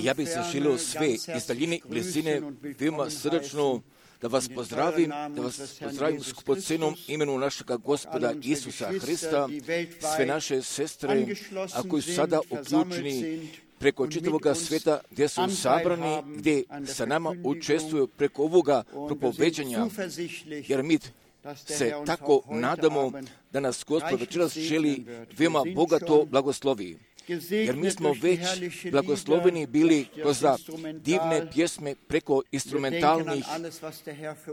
Ja bih se želio sve iz daljine i blizine veoma srdačno da vas pozdravim skupocenom imenu našega Gospoda Isusa Hrista, sve naše sestre, a koji su sada uključeni preko čitavoga sveta, gdje su sabrani, gdje sa nama učestvuju preko ovoga propoveđanja, jer mi se tako nadamo da nas Gospod večeras želi veoma bogato blagoslovi. Jer mi smo već blagosloveni bili kroz divne pjesme preko instrumentalnih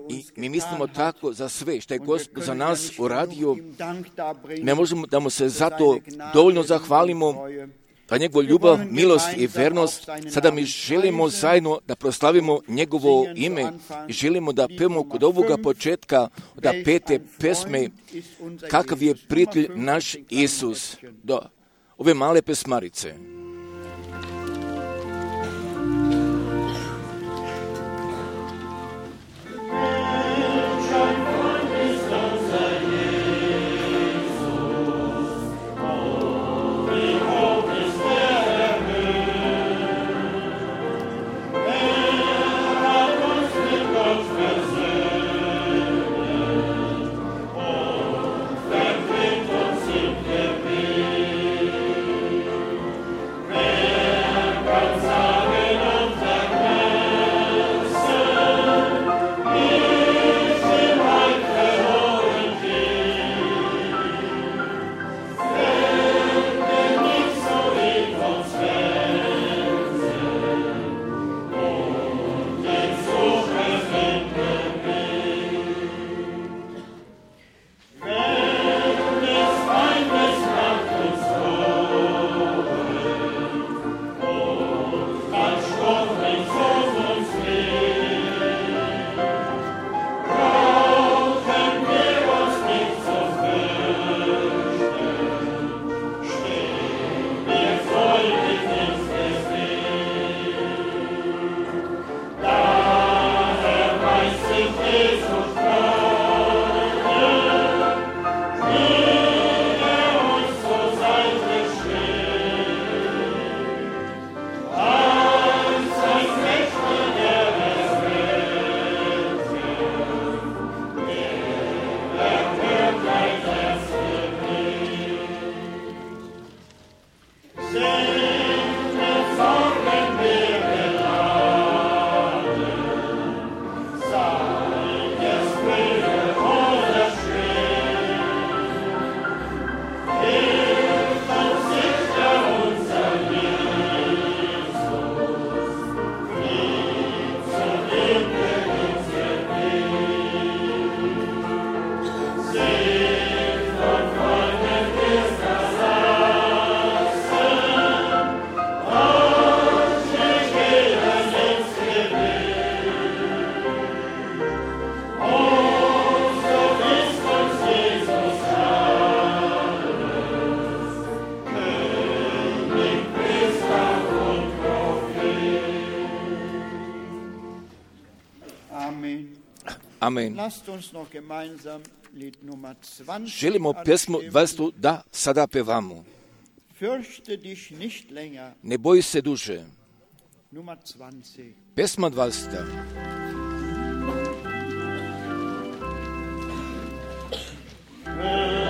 i mi mislimo tako za sve što je Gospod za nas uradio. Ne možemo da mu se zato dovoljno zahvalimo, za njegovu ljubav, milost i vernost. Sada mi želimo zajedno da proslavimo njegovo ime i želimo da pevamo kod ovoga početka, da 5. pesme, kakav je prijatelj naš Isus, do ove male pesmarice. Amen. Želimo pjesmu 20 da sada pevamo. Ne boj se duže. Pjesma 20. Yeah.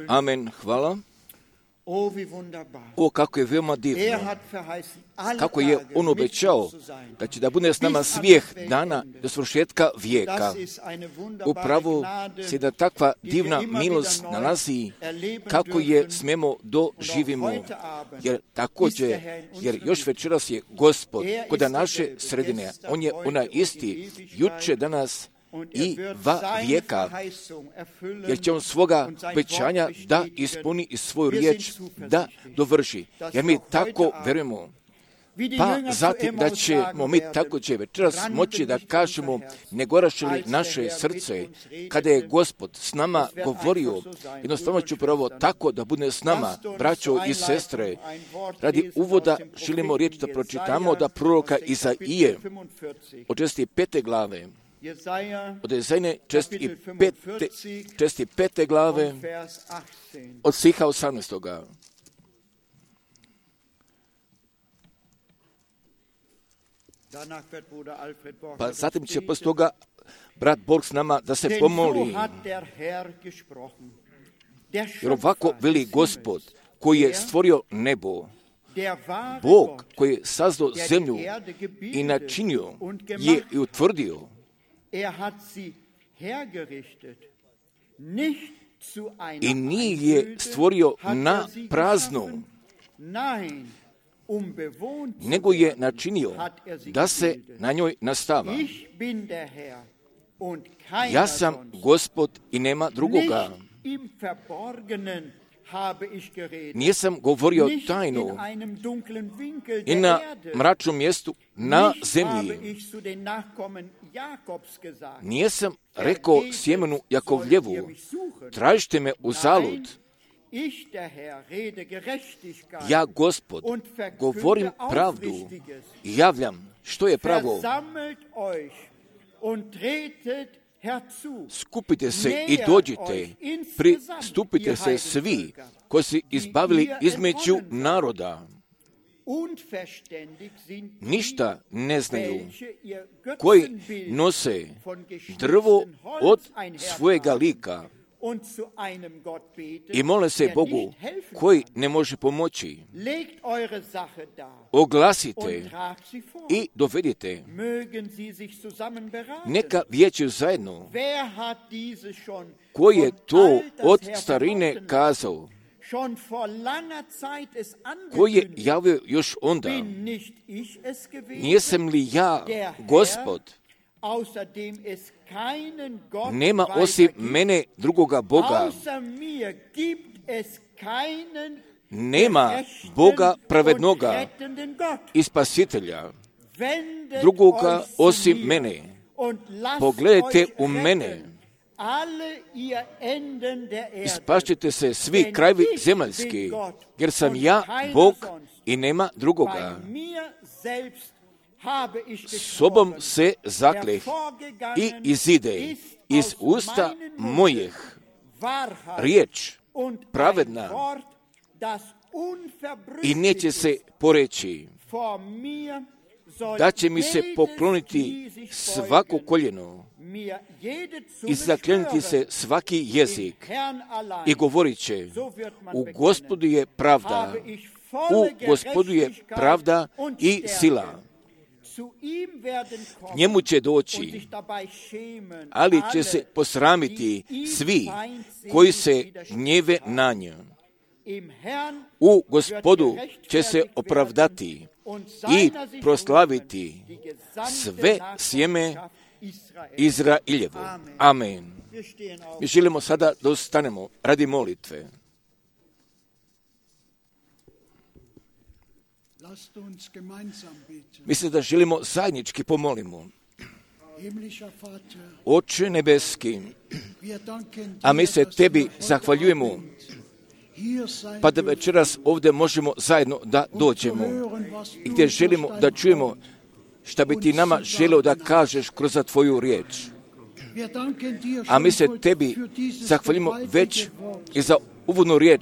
Amen, hvala. O, kako je veoma divno, kako je on obećao da će da bude s nama svih dana do svršetka vijeka. Upravo se da takva divna milost nalazi, kako je smemo doživimo, jer još večeras je Gospod kod naše sredine. On je onaj isti, juče, danas i va vijeka, jer će on svoga obećanja da ispuni i svoju riječ da dovrši. Jer mi tako verujemo. Pa zatim da ćemo mi tako će večeras moći da kažemo, ne goraše li naše srce kada je Gospod s nama govorio. Jednostavno ću pravo tako da bude s nama, braćo i sestre. Radi uvoda želimo riječ da pročitamo da proroka Izaije od 45. glave. Od Izajine 45. glave od stiha 18. Pa zatim će poslije toga brat Borg s nama da se pomoli. Jer ovako veli Gospod koji je stvorio nebo, Bog koji je sazdao zemlju i načinio je i utvrdio. I nije je stvorio na prazno, nego je načinio da se na njoj nastava. Ja sam Gospod i nema drugoga. Nisam govorio tajnu i na mračnom mjestu na zemlji. Nisam rekao sjemenu Jakovljevu, tražite me u zalud. Ja, Gospod, govorim pravdu i javljam što je pravo. Skupite se i dođite, pristupite se svi koji su izbavili između naroda. Ništa ne znaju, koji nose drvo od svojega lika i mole se Bogu koji ne može pomoći. Oglasite i dovedite. Neka vijeću zajedno. Koji je to od starine kazao? Koji je javio još onda? Nijesam li ja, Gospod? Nema osim mene drugoga Boga. Nema Boga pravednoga i spasitelja drugoga osim mene. Pogledajte u mene. Ispašćete se svi krajevi zemaljski, jer sam ja Bog i nema drugoga. Sobom se zakleh i izide iz usta mojih riječ pravedna i neće se poreći, da će mi se pokloniti svako koljeno i zakleniti se svaki jezik i govorit će, u Gospodu je pravda, u Gospodu je pravda i sila. Njemu će doći, ali će se posramiti svi koji se gnjeve na nju. U Gospodu će se opravdati i proslaviti sve sjeme Izraeljevo. Amen. Mi želimo sada da ustanemo radi molitve. Mislim da želimo zajednički pomolimo. Oče nebeski, a mi se tebi zahvaljujemo, pa da večeras ovdje možemo zajedno da dođemo i gdje želimo da čujemo šta bi ti nama želeo da kažeš kroz tvoju riječ. A mi se tebi zahvaljujemo već i za uvodnu riječ,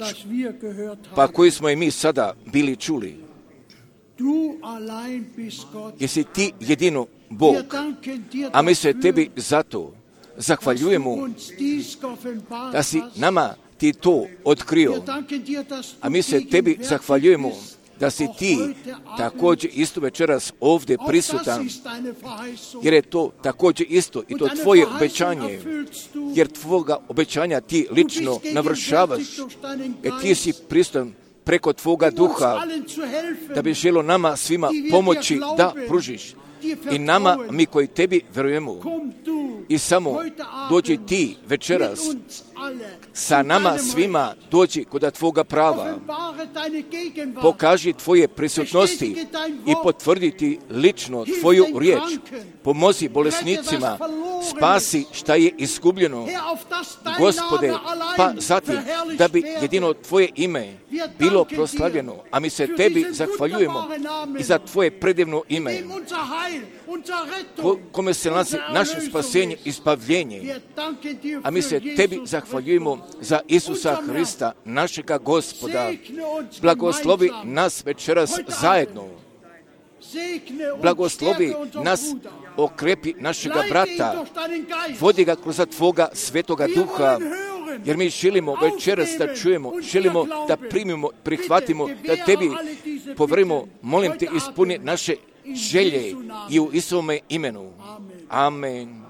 pa koju smo i mi sada bili čuli. Jesi ti jedino Bog, a mi se tebi zato zahvaljujemo da si nama ti to otkrio. A mi se tebi zahvaljujemo da si ti također isto večeras ovdje prisutan, jer je to također isto i to tvoje obećanje, jer tvoga obećanja ti lično navršavaš, jer ti si prisutan preko tvoga duha, da bi želo nama svima pomoći da pružiš. I nama, mi koji tebi vjerujemo, i samo dođi ti večeras, sa nama svima dođi kod tvoga prava, pokaži tvoje prisutnosti i potvrditi lično tvoju riječ, pomozi bolesnicima, spasi šta je izgubljeno, Gospode, pa zatim da bi jedino tvoje ime bilo proslavljeno, a mi se tebi zahvaljujemo i za tvoje predivno ime, kome se nalazi naše spasenje i spavljenje, a mi se tebi zahvaljujemo za Isusa Hrista, našega Gospoda. Blagoslovi nas večeras zajedno. Blagoslovi nas, okrepi našega brata, vodi ga kroz tvoga svetoga duha, jer mi želimo večeras da čujemo, želimo da primimo, prihvatimo, da tebi poverimo. Molim te, ispuni naše želje i u Isovome imenu. Amen.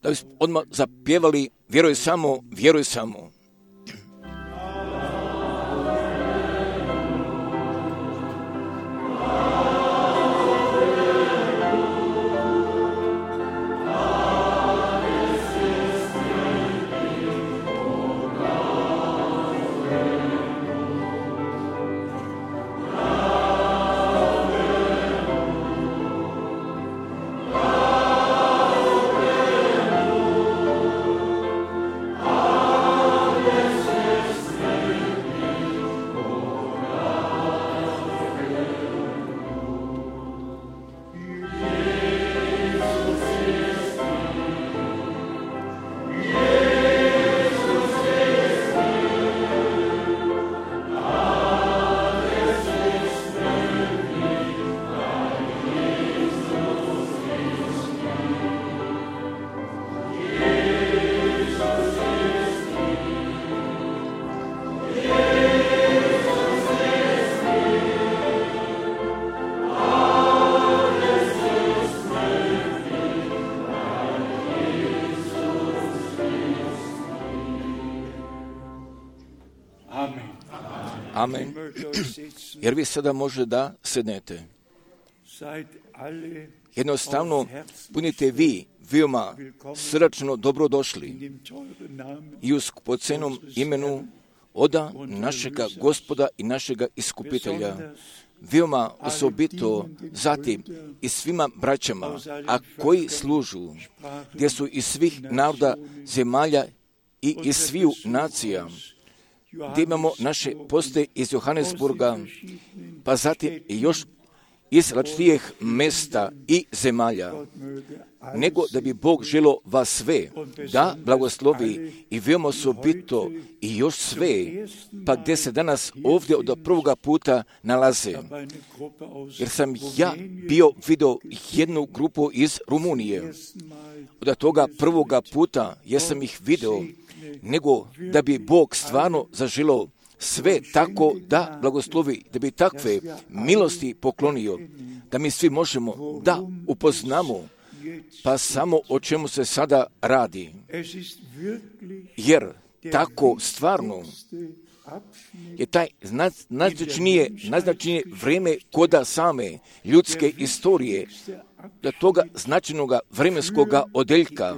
Da bismo odmah zapjevali vjeruj samo, vjeruj samo. Amen. Jer vi sada može da sednete. Jednostavno, budite vi veoma srdačno dobrodošli i u skupocenom imenu oda našega Gospoda i našega Iskupitelja. Veoma osobito zatim i svima braćama, a koji služu, gdje su iz svih naroda zemalja i iz sviju nacija, gdje imamo naše poste iz Johannesburga, pa zatim i još iz različitih mjesta i zemalja, nego da bi Bog želo vas sve da blagoslovi i veoma osobito i još sve, pa gdje se danas ovdje od prvoga puta nalaze. Jer sam ja bio vidio jednu grupu iz Rumunije. Od toga prvoga puta jesam ih vidio, nego da bi Bog stvarno zaželio sve tako da blagoslovi, da bi takve milosti poklonio, da mi svi možemo da upoznamo pa samo o čemu se sada radi. Jer tako stvarno je taj najznačajnije vrijeme koda same ljudske istorije, do toga značajnoga vremenskoga odeljka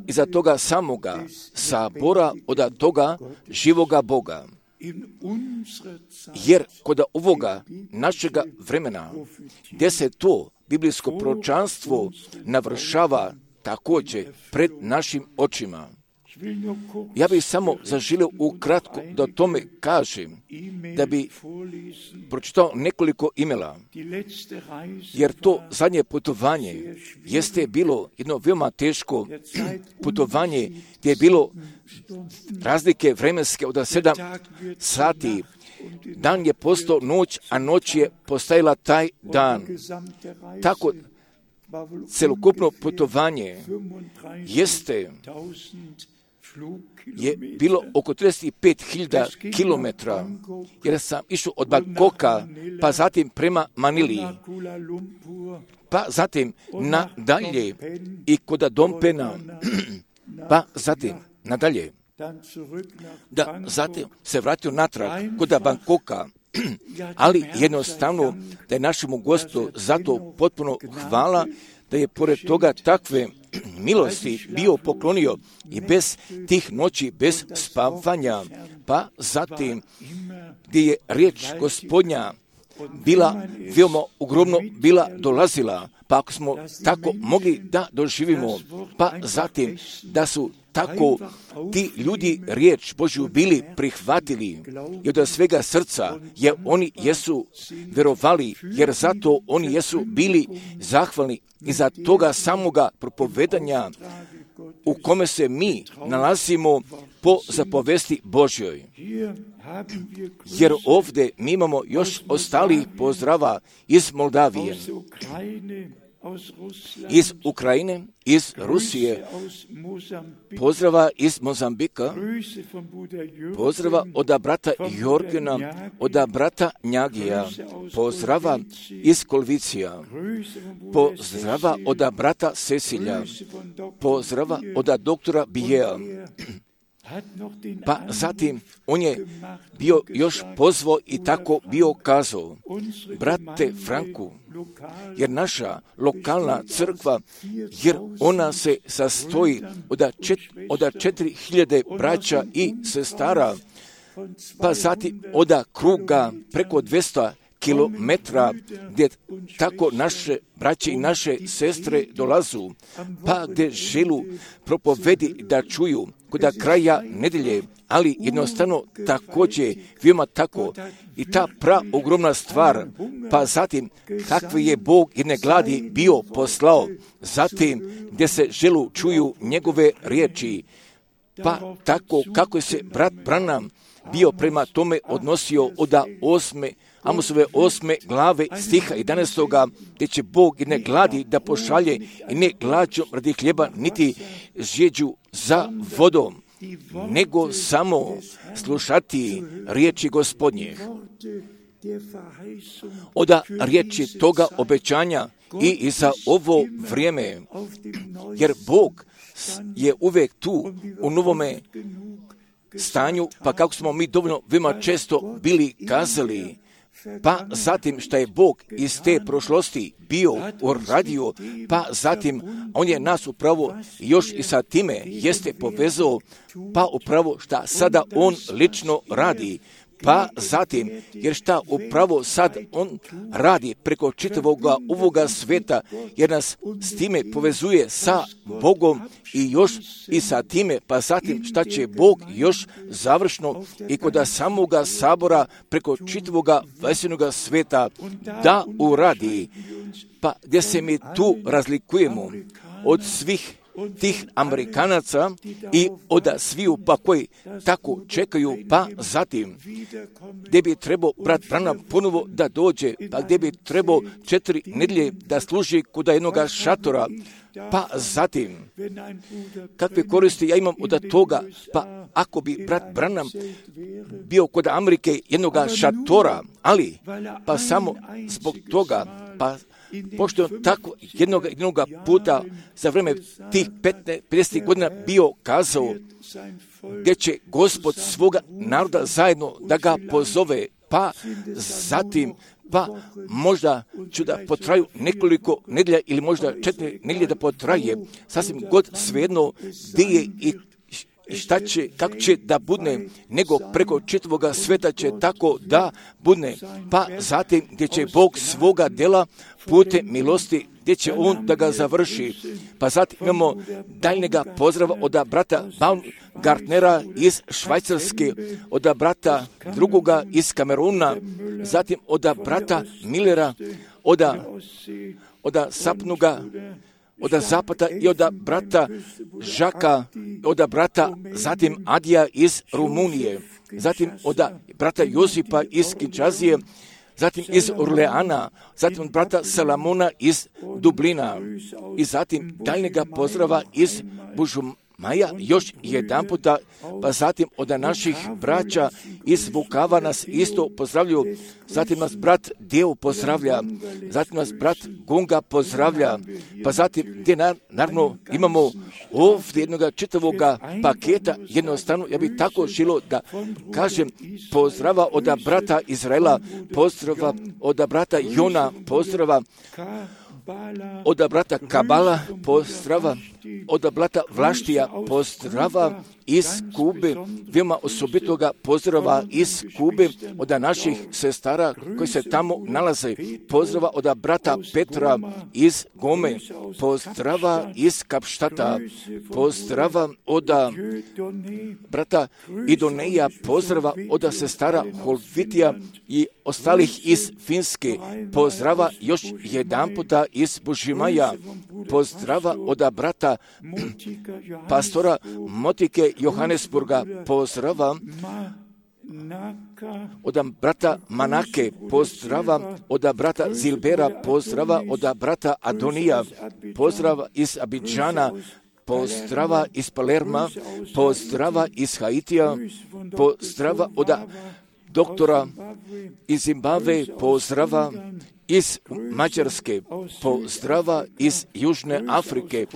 i za toga samoga sabora od toga živoga Boga. Jer kod ovoga našega vremena, gdje se to biblijsko proročanstvo navršava također pred našim očima, ja bih samo zaželio ukratko da o tome kažem, da bi pročitao nekoliko imela, jer to zadnje putovanje jeste bilo jedno veoma teško putovanje, gdje je bilo razlike vremenske od 7 sati. Dan je postao noć, a noć je postajala taj dan. Tako celokupno putovanje je bilo oko 35.000 kilometra, jer sam išao od Bangkoka, pa zatim prema Manili, pa zatim nadalje i kod Dompena, pa zatim nadalje, da zatim se vratio natrag kod Bangkoka, ali jednostavno da je našemu Gospodu zato potpuno hvala da je pored toga takve milosti bio poklonio i bez tih noći, bez spavanja, pa zatim gdje je riječ Gospodnja bila veoma ogromno bila dolazila, pa ako smo tako mogli da doživimo, pa zatim da su tako ti ljudi riječ Božju bili prihvatili i od svega srca, jer oni jesu vjerovali, jer zato oni jesu bili zahvalni i za toga samoga propovedanja u kome se mi nalazimo po zapovesti Božjoj. Jer ovdje mi imamo još ostali pozdrava iz Moldavije, iz Ukrajine, iz Rusije, pozdrava iz Mozambika, pozdrava od brata Jorgena, od brata Njagija, pozdrava iz Kolvicija, pozdrava od brata Cecilja, pozdrava od doktora Bijea. Pa zatim on je bio još pozvao i tako bio kazao: brate Franku, jer naša lokalna crkva, jer ona se sastoji od 4.000 braća i sestara, pa zatim od kruga preko 200 kilometra gdje tako naše braće i naše sestre dolazu, pa gdje želu propovedi da čuju kod kraja nedelje, ali jednostavno također veoma tako i ta ogromna stvar, pa zatim kakve je Bog jedne gladi bio poslao, zatim gdje se želu čuju njegove riječi, pa tako kako je se brat Branham bio prema tome odnosio od Amosove 8. glave stiha 11. gdje će Bog jedne gladi da pošalje i ne glađom radi hljeba niti žeđu za vodom, nego samo slušati riječi Gospodnjih. Od riječi toga obećanja i za ovo vrijeme, jer Bog je uvijek tu u novome stanju, pa kako smo mi dovoljno veoma često bili kazali, pa zatim što je Bog iz te prošlosti bio uradio, pa zatim on je nas upravo još i sa time jeste povezao, pa upravo šta sada on lično radi, pa zatim, jer šta upravo sad on radi preko čitavoga ovoga sveta, jer nas s time povezuje sa Bogom i još i sa time, pa zatim šta će Bog još završno i kod samoga sabora preko čitavoga vesenoga sveta da uradi, pa gdje se mi tu razlikujemo od svih tih Amerikanaca i od sviju pa koji tako čekaju, pa zatim gdje bi trebao brat Branham ponovo da dođe, pa gdje bi trebao 4 nedelje da služi kod jednog šatora, pa zatim kakve koristi ja imam od toga, pa ako bi brat Branham bio kod Amerike jednog šatora, ali pa samo zbog toga, pa pošto on tako jednog puta za vreme tih 50 godina bio kazao gdje će Gospod svoga naroda zajedno da ga pozove, pa zatim pa možda ću da potraju nekoliko nedelja ili možda 4 nedelje da potraje, sasvim god svejedno gdje je i šta će, kako će da budne, nego preko čitavoga sveta će tako da budne, pa zatim gdje će Bog svoga dela putem milosti, gdje će on da ga završi. Pa zatim imamo daljnjega pozdrava od brata Baumgartnera iz Švajcarske, od brata drugoga iz Kameruna, zatim od brata Millera, od Sapnuga, od Zapata i od brata Žaka, od brata zatim Adija iz Rumunije, zatim od brata Josipa iz Kinčazije, zatim iz Orleana, zatim od brata Salamona iz Dublina i zatim daljnjega pozdrava iz Bužumaja još jedan puta, pa zatim od naših braća iz Vukava nas isto pozdravljaju, zatim nas brat Deo pozdravlja, zatim nas brat Gunga pozdravlja, pa zatim gdje naravno imamo ovdje jednoga čitavoga paketa, jednostavno ja bih tako želio da kažem pozdrava od brata Izraela, pozdrava od brata Jona, pozdrava od brata Kabala, pozdrava od brata Vlaštija, pozdrava iz Kube, veoma osobitoga pozdrava iz Kube od naših sestara koji se tamo nalaze, pozdrava od brata Petra iz Gome, pozdrava iz Kapštata, pozdrava od brata Idoneja, pozdrava od sestara Holvitija i ostalih iz Finske, pozdrava još jedan puta iz Bužimaja, pozdrava od brata pastora Motike Johannesburga, pozdrava od brata Manake, pozdrava od brata Zilbera, pozdrava od brata Adonija, pozdrava iz Abidžana, pozdrava iz Palerma, pozdrava iz Haitija, pozdrava od doktora iz Zimbabve, pozdrava iz Mađarske, pozdrava iz Južne Afrike,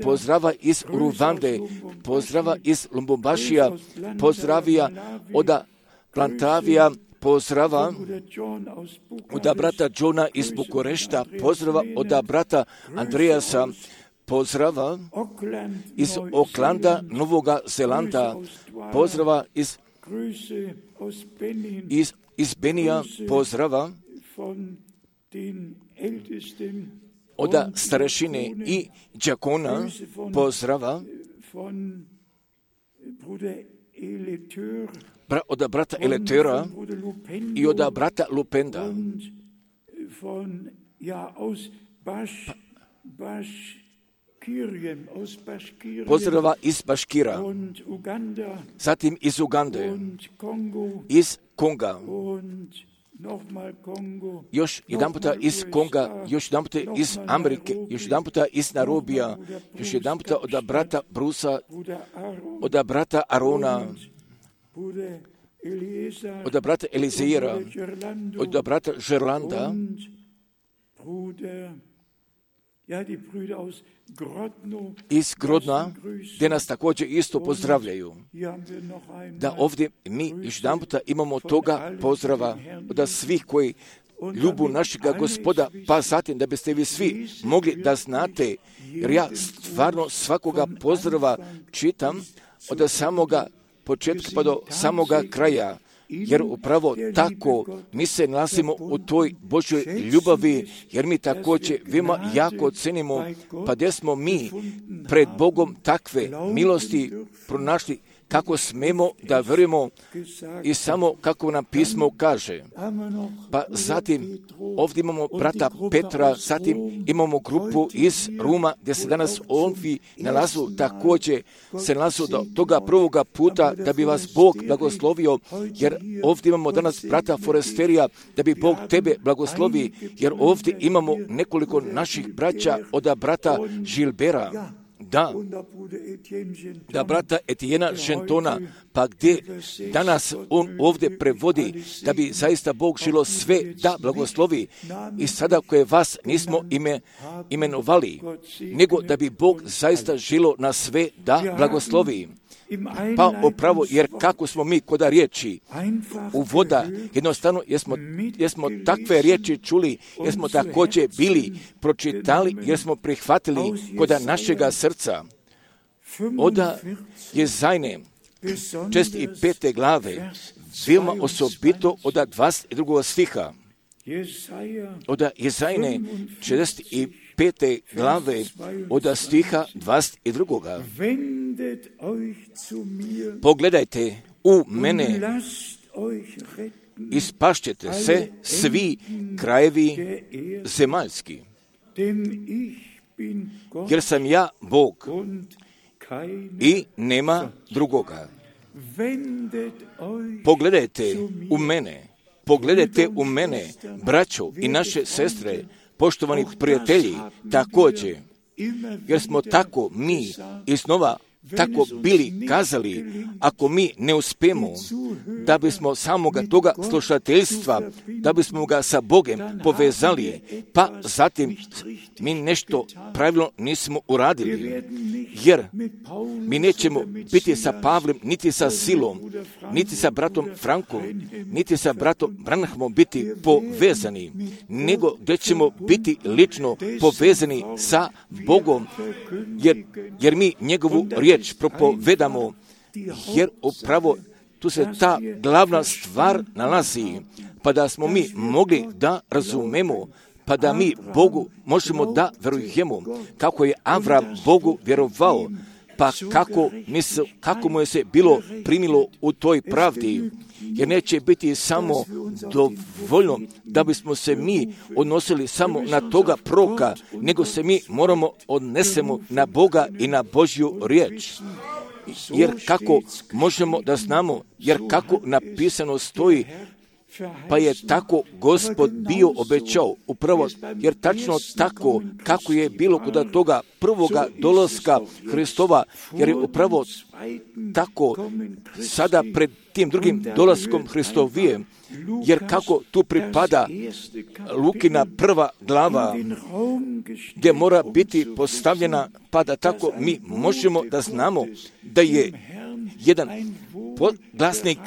pozdrava iz Ruvande, pozdrava iz Lumbumbašija, pozdravija od Plantavija, pozdrava od brata Johna iz Bukurešta, pozdrava od brata Andreasa, pozdrava iz Oklanda, Novoga Zelanda, pozdrava iz Benija, pozdrava od starešine i đakona, pozdrava od brata Eletera i od brata Lupenda, pozdrava iz Baškira, zatim iz Ugande, iz Konga, još jedan puta iz Konga, još jedan puta iz Amerike, još jedan puta iz Nairobija, još jedan puta od brata Brusa, od brata Arona, od brata Elizeira, od brata Žerlanda, iz Grodna, gdje nas također isto pozdravljaju. Da ovdje mi još jedan puta imamo toga pozdrava od svih koji ljubu našega Gospoda, pa zatim da biste vi svi mogli da znate, jer ja stvarno svakoga pozdrava čitam od samoga početka pa do samoga kraja, jer upravo tako mi se nalazimo u toj Božoj ljubavi, jer mi također veoma jako cenimo, pa gdje smo mi pred Bogom takve milosti pronašli, kako smemo da vjerujemo i samo kako nam pismo kaže. Pa zatim ovdje imamo brata Petra, zatim imamo grupu iz Ruma gdje se danas ovdje nalazu, također se nalazu do toga prvoga puta da bi vas Bog blagoslovio, jer ovdje imamo danas brata Foresterija, da bi Bog tebe blagoslovi, jer ovdje imamo nekoliko naših braća od brata Žilbera. Da brata Etijena Žentona, pa gdje danas on ovdje prevodi, da bi zaista Bog želo sve da blagoslovi. I sada koje vas nismo imenovali, nego da bi Bog zaista želo na sve da blagoslovi. Pa upravo, jer kako smo mi koda riječi u voda, jednostavno jesmo takve riječi čuli, jer smo također bili pročitali, jer smo prihvatili koda našega srca. Oda je Jezajne 45. glave, veoma osobito od 22. stiha. Od Jezajne 45. glave od stiha 22. Pogledajte u mene i spašćete se svi krajevi zemaljski, jer sam ja Bog i nema drugoga. Pogledajte u mene pogledajte u mene, braćo i naše sestre, poštovani prijatelji, također, jer smo tako mi iznova tako bili kazali, ako mi ne uspijemo da bismo samoga toga slušateljstva, da bismo ga sa Bogom povezali, pa zatim mi nešto pravilno nismo uradili, jer mi nećemo biti sa Pavlem, niti sa Silom, niti sa bratom Frankom, niti sa bratom Branhamom biti povezani, nego da ćemo biti lično povezani sa Bogom, jer mi njegovu riječ propovedamo, jer upravo tu se ta glavna stvar nalazi, pa da smo mi mogli da razumemo, pa da mi Bogu možemo da vjerujemo, kako je Avram Bogu vjerovao, pa kako mu je se bilo primilo u toj pravdi, jer neće biti samo dovoljno da bismo se mi odnosili samo na toga proroka, nego se mi moramo odnesemo na Boga i na Božju riječ. Jer kako možemo da znamo, jer kako napisano stoji, pa je tako Gospod bio obećao, upravo, jer tačno tako kako je bilo kod toga prvoga dolaska Hristova, jer je upravo tako sada pred tim drugim dolaskom Hristovije, jer kako tu pripada Lukina prva glava, gdje mora biti postavljena, pa da tako mi možemo da znamo da je jedan glasnik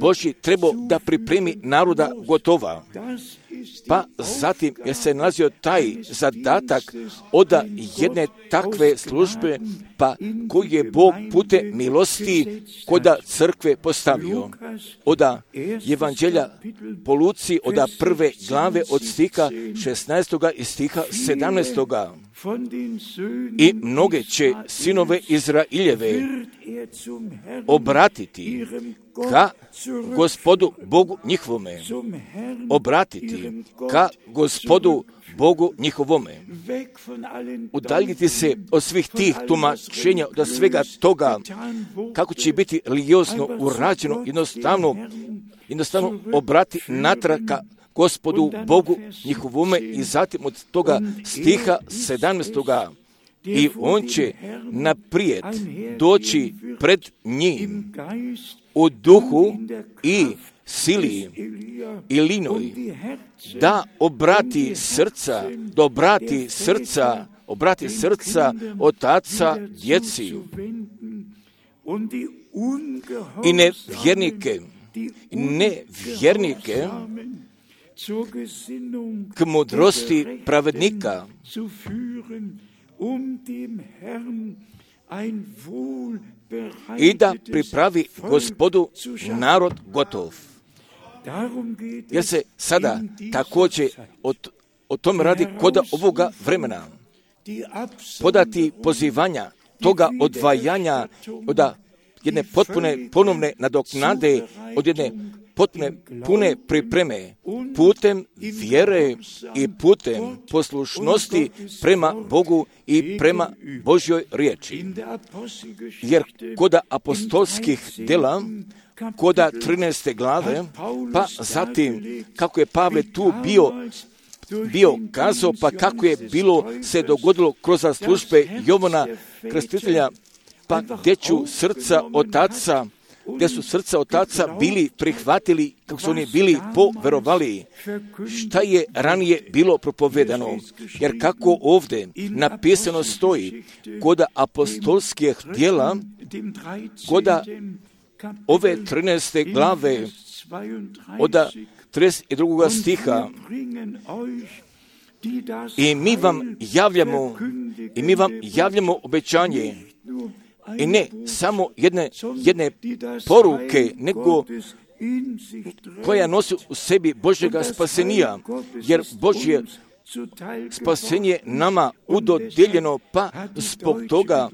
Božji trebao da pripremi naroda gotova. Pa zatim je se nalazio taj zadatak od jedne takve službe, pa koji je Bog putem milosti koda crkve postavio. Od Evanđelja po Luci, od prve glave od stiha 16. i stiha 17. I mnoge će sinove Izraeljeve obratiti ka Gospodu Bogu njihovome, obratiti ka Gospodu Bogu njihovome, udaljiti se od svih tih tumačenja, od svega toga, kako će biti religiozno urađeno, jednostavno obrati natrag ka Gospodu Bogu njihovome i zatim od toga stiha 17. I on će naprijed doći pred njim u duhu i sili i linoj, da obrati srca otaca djeci i nevjernike k mudrosti pravednika, i da pripravi Gospodu narod gotov. Jer se sada također o tom radi kod ovoga vremena. Podati pozivanja, toga odvajanja od jedne potpune ponovne nadoknade, od jedne potpune pune pripreme, putem vjere i putem poslušnosti prema Bogu i prema Božjoj riječi. Jer kod apostolskih djela, kod 13. glave, pa zatim kako je Pavle tu bio kazao, pa kako je bilo se dogodilo kroz službe Jovana Krstitelja, pa gdje su srca otaca bili prihvatili, kako su oni bili poverovali, šta je ranije bilo propovedano. Jer kako ovdje napisano stoji, kod apostolskih djela, kod ove 13. glave, od 32. stiha, i mi vam javljamo obećanje, i ne samo jedne poruke, nego koja nosi u sebi Božjega spasenja, jer Božje spasenje nama udodijeljeno, pa zbog toga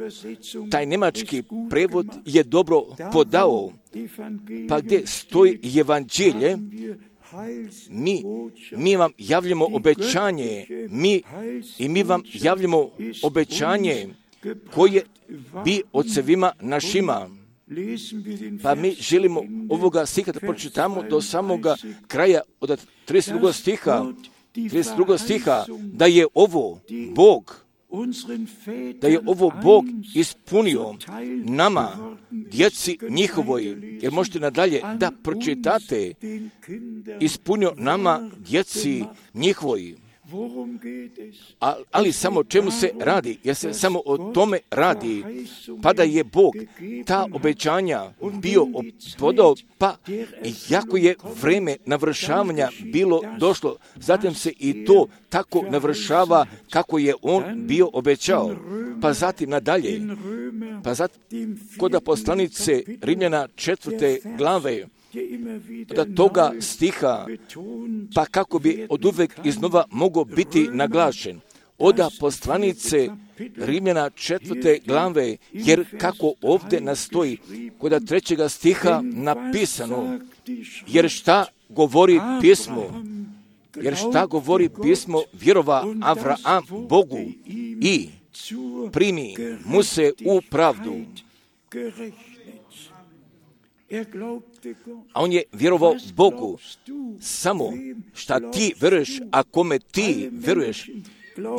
taj njemački prevod je dobro podao, pa gdje stoji evanđelje, mi vam javljamo obećanje, mi vam javljamo obećanje koje bi ocevima našima, Pa mi želimo ovoga stiha da pročitamo do samoga kraja od 32. stiha, da je ovo Bog ispunio nama, djeci njihovoj, jer možete nadalje da pročitate, ispunio nama, djeci njihovoj. Ali samo o čemu se radi, jer se samo o tome radi, pa da je Bog ta obećanja bio podao, pa jako je vreme navršavanja bilo došlo, zatim se i to tako navršava kako je On bio obećao. Pa zatim nadalje, kod poslanice Rimljana 4. glave, od toga stiha, pa kako bi oduvek iznova mogao biti naglašen. Od poslanice Rimljana 4. glave, jer kako ovdje nastoji, kod 3. stiha napisano, jer šta govori pismo, vjerova Avraam Bogu i primi mu se u pravdu. A on je vjerovao Bogu. Samo šta ti veruješ, a kome ti veruješ,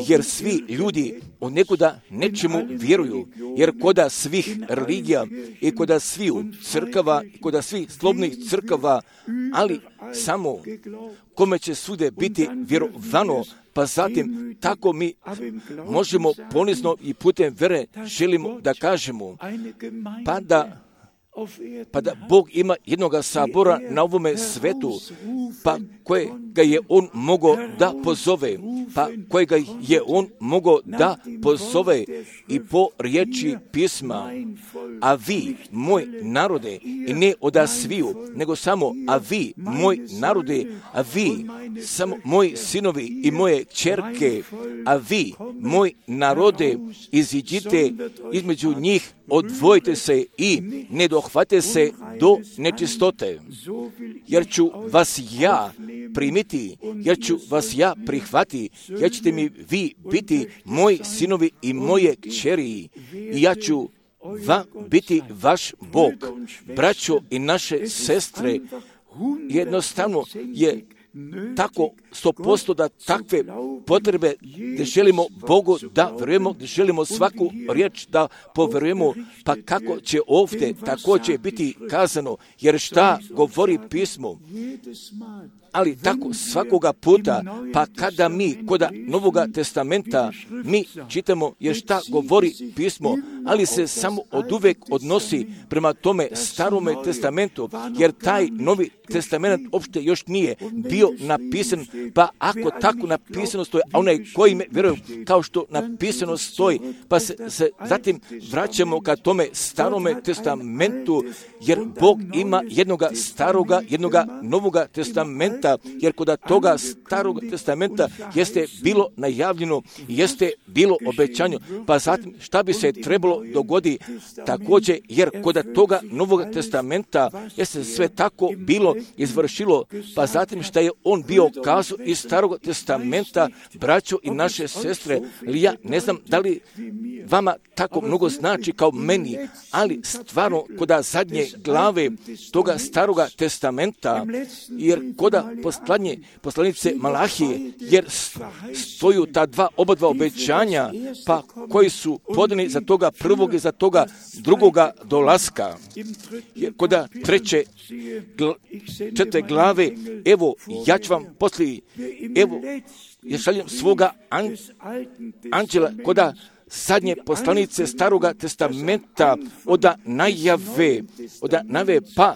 jer svi ljudi od nekuda nečemu vjeruju, jer koda svih religija i koda svih crkava i koda svih slobodnih crkava, ali samo kome će svude biti vjerovano, pa zatim tako mi možemo ponizno i putem vere želimo da kažemo, pa da Bog ima jednoga sabora na ovome svetu, pa kojega je On mogao da pozove, i po riječi pisma, a vi, moj narode, i ne oda sviju, nego samo, a vi, moj narode, a vi, samo moji sinovi i moje ćerke, a vi, moj narode, iziđite između njih, odvojite se i ne dohvate se do nečistote, jer ću vas ja primiti, jer ću vas ja prihvati, jer ćete mi vi biti moji sinovi i moje kćeri i ja ću vam biti vaš Bog. Braćo i naše sestre, jednostavno je tako 100% da takve potrebe gdje želimo Bogu da verujemo, gdje želimo svaku riječ da poverujemo, pa kako će ovdje također biti kazano, jer šta govori pismo, ali tako svakoga puta, pa kada mi kod Novoga testamenta mi čitamo jer šta govori pismo, ali se samo oduvek odnosi prema tome Starome testamentu, jer taj Novi testament uopšte još nije bio napisan, pa ako tako napisano stoji, a onaj koji me vjeruje kao što napisano stoji, pa se zatim vraćamo ka tome Starome testamentu, jer Bog ima jednoga staroga, jednoga Novoga testamenta, jer kod toga Starog testamenta jeste bilo najavljeno, jeste bilo obećanje, pa zatim šta bi se trebalo dogoditi također, jer kod toga Novog testamenta jeste sve tako bilo izvršilo, pa zatim šta je on bio kazao iz Starog testamenta, braćo i naše sestre, ali ja ne znam da li vama tako mnogo znači kao meni, ali stvarno kod zadnje glave toga Staroga testamenta, jer kod poslanice Malahije, jer stoju ta oba dva obećanja, pa koji su podani za toga prvog i za toga drugoga dolaska. Jer kod četvrte glave, evo, ja ću vam poslije, evo, ja šaljem svoga anđela kod zadnje poslanice Staroga testamenta od najave, pa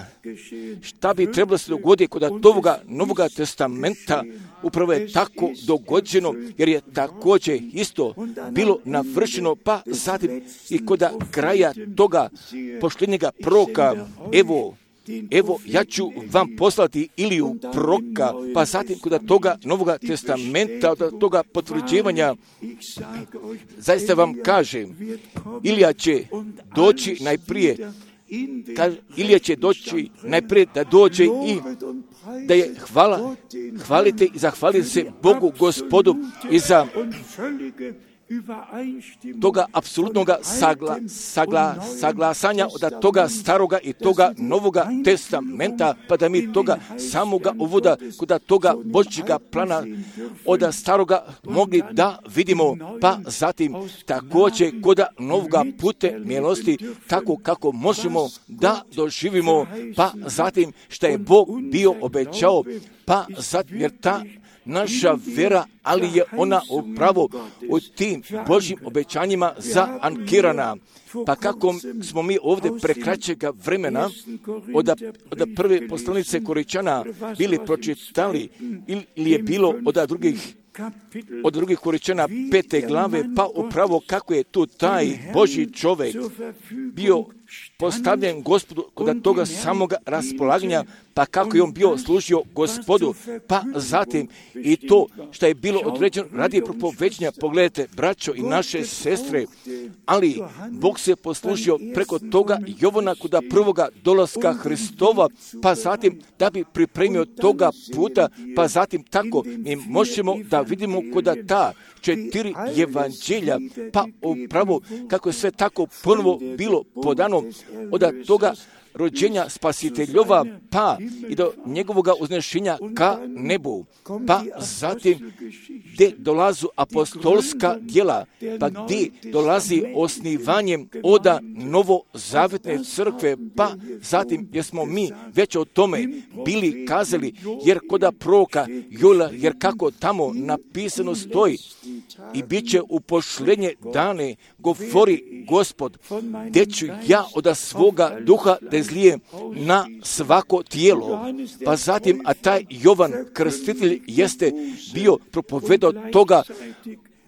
šta bi trebalo se dogoditi kod toga Novoga testamenta, upravo je tako dogođeno, jer je također isto bilo navršeno, pa zatim i kod kraja toga poštenjega proroka, evo, ja ću vam poslati Iliju proroka, pa zatim kod toga Novoga testamenta, od toga potvrđivanja, zaista vam kažem, Ilija će doći najprije da dođe i da je hvalite i zahvalite se Bogu Gospodu i za toga apsolutnog saglasanja od toga staroga i toga novoga testamenta, pa da mi toga samoga uvoda kod toga Božjega plana od staroga mogli da vidimo, pa zatim također kod novoga pute milosti, tako kako možemo da doživimo, pa zatim što je Bog bio obećao, pa zatim jer ta naša vera, ali je ona upravo u tim Božjim obećanjima zaankirana. Pa kako smo mi ovdje prekraćega vremena od prve poslanice Koričana bili pročitali ili je bilo od drugih Koričana 5. glave, pa upravo kako je tu taj Božji čovjek bio postavljen Gospodu kod toga samoga raspolaganja, pa kako je on bio služio Gospodu, pa zatim i to što je bilo određeno radi propoveđenja, pogledajte, braćo i naše sestre, ali Bog se poslužio preko toga Jovana kod prvoga dolaska Hristova, pa zatim da bi pripremio toga puta, pa zatim tako mi možemo da vidimo kod ta 4 evanđelja, pa upravo kako je sve tako prvo bilo podano od toga rođenja Spasiteljova, pa i do njegovoga uznešenja ka nebu, pa zatim gdje dolazu apostolska djela, pa gdje dolazi osnivanjem od novozavetne crkve, pa zatim jer smo mi već o tome bili kazali, jer kod proroka Joela, jer kako tamo napisano stoji, i bit će u pošlenje dane, govori Gospod, gdje ću ja od svoga duha da zlijem na svako tijelo. Pa zatim, a taj Jovan Krstitelj jeste bio propovedao toga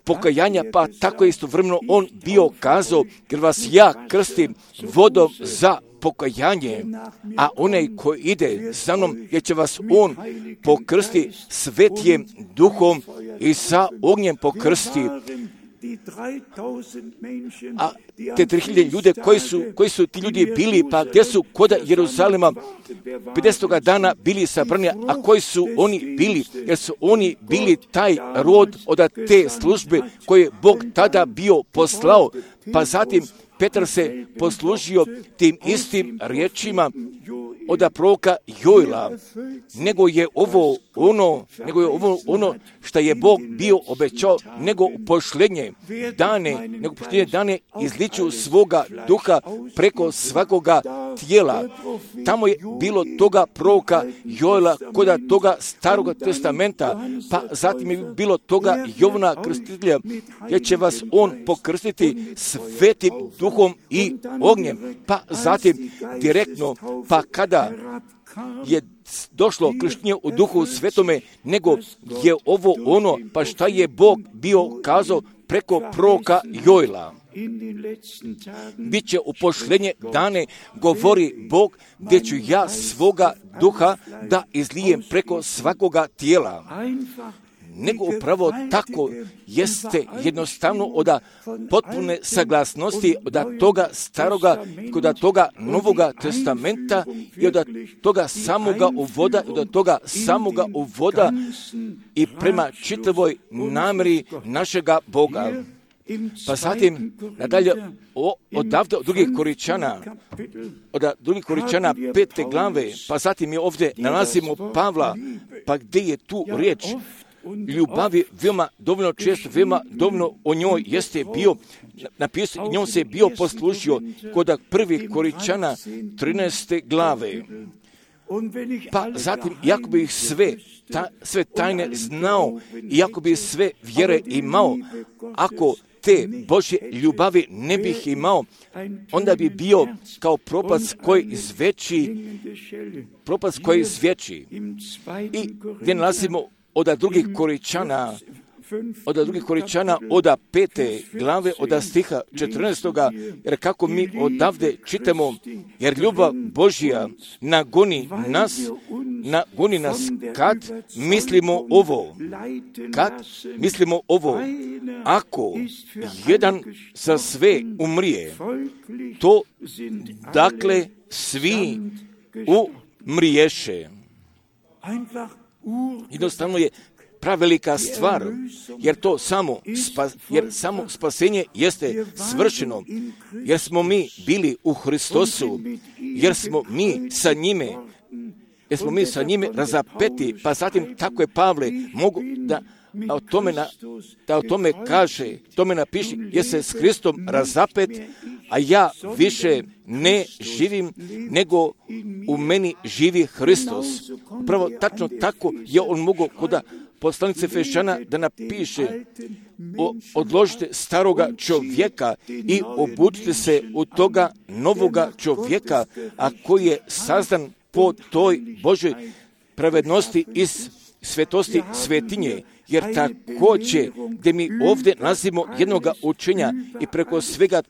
pokajanja, pa tako istovremeno on bio kazao, jer vas ja krstim vodom za pokajanje, a onaj koji ide za mnom, jer će vas on pokrsti svetijem duhom i sa ognjem pokrsti. A te 3000 ljude, koji su ti ljudi bili, pa gdje su kod Jeruzalema 50. dana bili sabrani, a koji su oni bili? Jer su oni bili taj rod od te službe koje je Bog tada bio poslao, pa zatim Petar se poslužio tim istim riječima od proroka Joela, nego je ovo ono što je Bog bio obećao, nego pošlenje dane izliču svoga duha preko svakoga tijela. Tamo je bilo toga proroka Joela kod toga staroga testamenta, pa zatim je bilo toga Jovana Krstitelja, jer će vas on pokrstiti svetim duhom i ognjem, pa zatim direktno, pa kada je došlo krštenje u duhu svetome, nego je ovo ono, pa šta je Bog bio kazao preko proroka Joela. Biće u pošlenje dane, govori Bog, gdje ću ja svoga duha da izlijem preko svakoga tijela. Nego upravo tako jeste jednostavno od potpune saglasnosti od toga staroga, kod toga novoga testamenta i od toga samoga uvoda i prema čitavoj namjeri našega Boga. Pa zatim nadalje odavde od drugih Koričana 5. glave, pa zatim je ovdje nalazimo Pavla, pa gdje je tu riječ ljubavi veoma dovoljno često, veoma dovoljno o njoj jeste bio napisano, njom se bio poslužio kod 1. Koričana 13. glave. Pa zatim, iako bi ih sve tajne znao, iako bi sve vjere imao, ako te Božje ljubavi ne bih imao, onda bi bio kao propast koji zveči. I gdje nalazimo od drugih Koričana, od 5. glave, od stiha 14. jer kako mi odavde čitamo, jer ljubav Božja nagoni nas kad mislimo ovo, ako jedan za sve umrije, to dakle svi umriješe. Jednostavno je pravelika stvar, jer to samo spasenje jeste svršeno, jer smo mi bili u Hristosu, jer smo mi sa njime razapeti, pa zatim tako je Pavle mogu da o tome kaže, tome napiši, jer se s Hristom razapet, a ja više ne živim, nego u meni živi Hristos. Upravo tačno tako je on mogao kod poslanice Efešana da napiše: odložite staroga čovjeka i obučite se u toga novoga čovjeka, a koji je sazdan po toj Božoj pravednosti i svetosti svetinje. Jer također, gdje mi ovdje nalazimo jednoga učenja i preko svega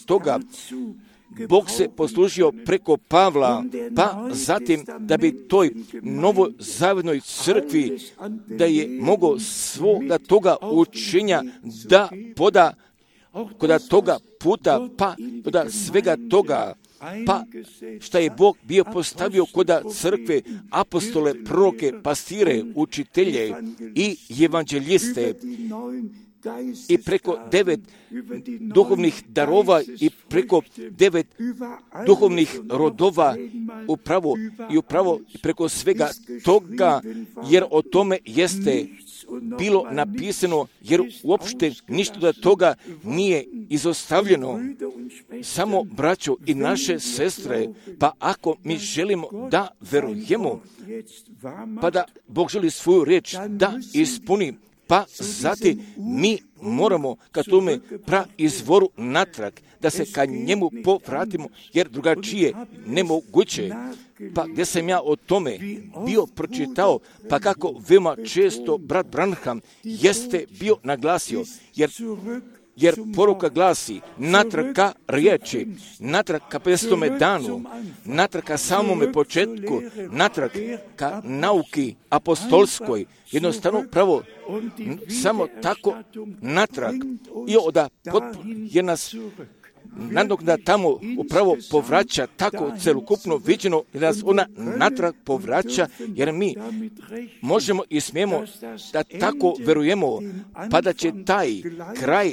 toga Bog se poslužio preko Pavla, pa zatim da bi toj novozavetnoj crkvi, da je mogao svoga toga učenja da poda kod toga puta, pa kod svega toga, pa šta je Bog bio postavio kod crkve, apostole, proroke, pastire, učitelje i evanđeliste, i preko 9 duhovnih darova i preko 9 duhovnih rodova upravo preko svega toga, jer o tome jeste bilo napisano, jer uopšte ništa od toga nije izostavljeno. Samo braćo i naše sestre, pa ako mi želimo da verujemo, pa da Bog želi svoju riječ da ispuni, pa zatim mi moramo ka tome izvoru natrag, da se ka njemu povratimo, jer drugačije nemoguće. Pa gdje sam ja o tome bio pročitao, pa kako veoma često brat Branham jeste bio naglasio, jer poruka glasi natrag ka riječi, natrag ka 50. danu, natrag ka samome početku, natrag ka nauki apostolskoj, jednostavno pravo samo tako natrag, i jer nas nadoknada tamo upravo povraća tako celokupno viđeno, jer nas ona natrag povraća, jer mi možemo i smijemo da tako verujemo, pa da će taj kraj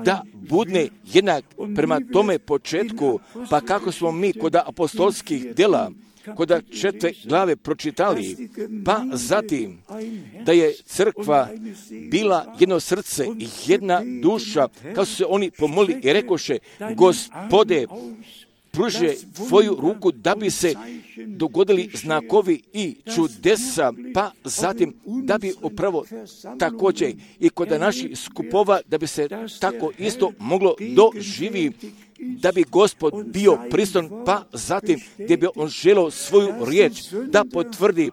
da bude jednak prema tome početku, pa kako smo mi kod apostolskih djela kod 4. glave pročitali, pa zatim da je crkva bila jedno srce i jedna duša, kao su se oni pomolili i rekoše: Gospode, pruže tvoju ruku da bi se dogodili znakovi i čudesa, pa zatim da bi upravo također i kod naših skupova da bi se tako isto moglo doživjeti, da bi Gospod bio prisutan, pa zatim gdje bi on želeo svoju riječ da potvrdi,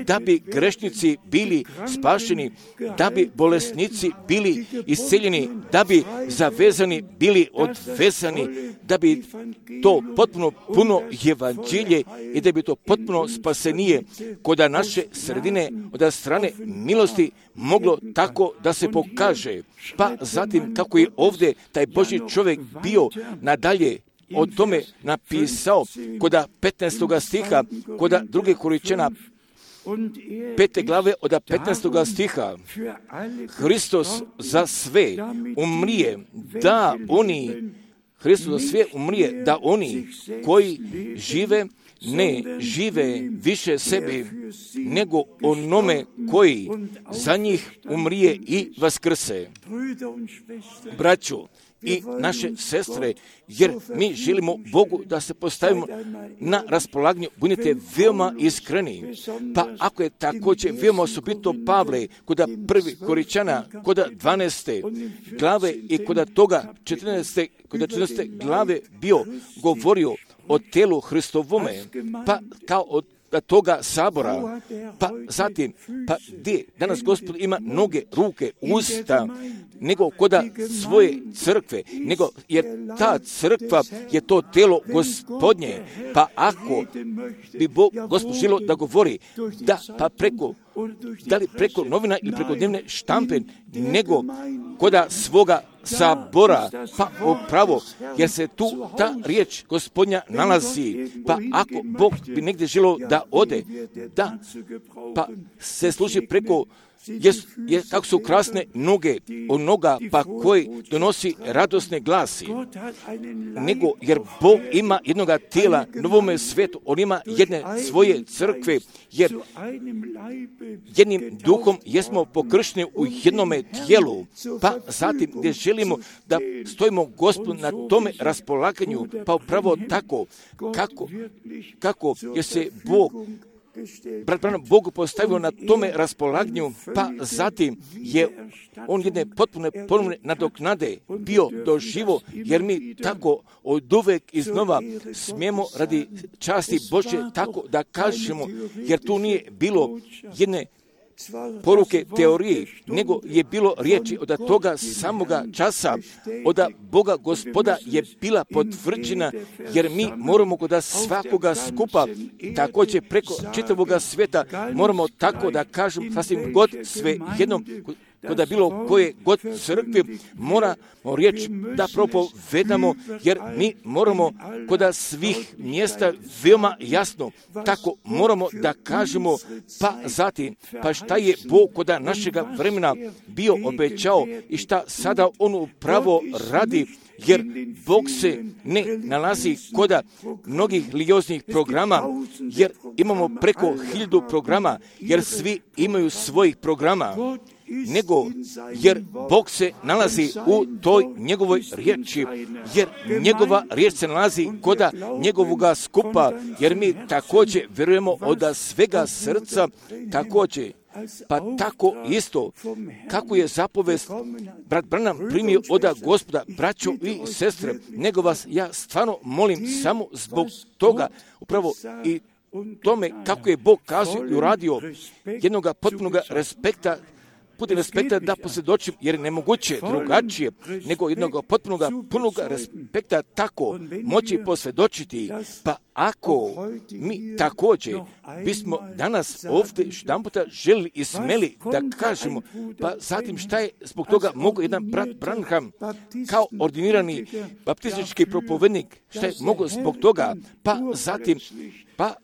da bi grešnici bili spašeni, da bi bolesnici bili isceljeni, da bi zavezani bili odvezani, da bi to potpuno puno evanđelje i da bi to potpuno spasenije kod naše sredine od strane milosti moglo tako da se pokaže. Pa zatim kako je ovdje taj Božji čovjek bio nadalje o tome napisao kod 15. stiha, kod 2. Korinčana 5. glave od 15. stiha: Hristos za sve umrije, da oni koji žive ne žive više sebi, nego onome koji za njih umrije i vaskrse. Braćo i naše sestre, jer mi želimo Bogu da se postavimo na raspolaganju, budite veoma iskreni. Pa ako je također veoma osobito Pavle kod 1. Korinčana, kod 12. glave i kod toga 14. glave bio govorio o telu Hristovome, pa kao od toga sabora, pa zatim, pa gdje danas Gospod ima noge, ruke, usta, nego kod svoje crkve, nego jer ta crkva je to telo Gospodnje, pa ako bi Gospod želio da govori, da pa da li preko novina ili preko dnevne štampe, nego kod svoga sabora, pa upravo, jer se tu ta riječ Gospodnja nalazi, pa ako Bog bi negdje želio da ode, da, pa se služi preko kako su krasne noge od noga, pa koji donosi radosne glasi, nego jer Bog ima jednoga tijela novome svijetu, on ima jedne svoje crkve, jer jednim duhom jesmo pokršteni u jednome tijelu, pa zatim gdje želimo da stojimo Gospodu na tome raspolaganju, pa upravo tako, kako je se brat Branham Bogu postavio na tome raspolaganju, pa zatim je on jedne potpune nadoknade bio doživo, jer mi tako od uvek iznova smijemo radi časti Božje tako da kažemo, jer tu nije bilo jedne poruke teorije, nego je bilo riječi od toga samoga časa, od Boga Gospoda je bila potvrđena, jer mi moramo kod svakoga skupa, također preko čitavoga svijeta, moramo tako da kažem, sasvim god sve jednom, kod bilo koje god crkve moramo riječ da propovedamo, jer mi moramo kod svih mjesta veoma jasno tako moramo da kažemo, pa zatim, pa šta je Bog kod našega vremena bio obećao i šta sada on upravo radi, jer Bog se ne nalazi kod mnogih religioznih programa, jer imamo preko 1000 programa, jer svi imaju svojih programa, nego jer Bog se nalazi u toj njegovoj riječi, jer njegova riječ se nalazi kod njegovoga skupa, jer mi također vjerujemo od svega srca, također. Pa tako isto, kako je zapovest brat Branham primio od Gospoda, braćo i sestre, nego vas ja stvarno molim samo zbog toga, upravo i tome kako je Bog kazao i uradio jednoga potpunog respekta, putem respekta da posvjedočim, jer je nemoguće drugačije nego jednog punog respekta tako moći posvjedočiti. Pa ako mi također bismo danas ovdje jedanputa željeli i smeli da kažemo, pa zatim šta je zbog toga mogu jedan brat Branham kao ordinirani baptistički propovednik, šta je mogu zbog toga, pa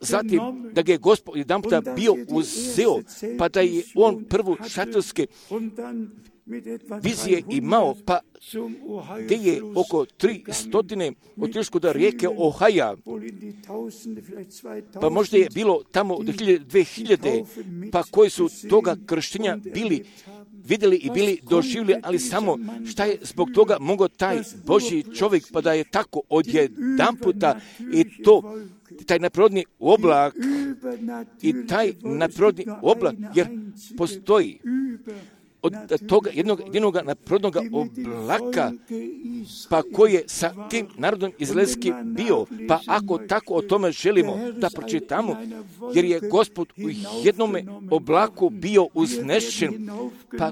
zatim da ga je Gospod jedanputa bio uzeo, pa da je on prvu šatorske vizije imao, pa gdje je oko 300 otišlo do rijeke Ohaja, pa možda je bilo tamo do 2000, pa koji su toga krštenja bili vidjeli i bili doživjeli, ali samo šta je zbog toga mogao taj Božji čovjek, pa da je tako odjedanputa i to taj nadprirodni oblak i taj nadprirodni oblak, jer postoji od toga jednog nadprirodnog oblaka, pa koji je sa tim narodom izraelskim bio, pa ako tako o tome želimo da pročitamo, jer je Gospod u jednome oblaku bio uznešen, pa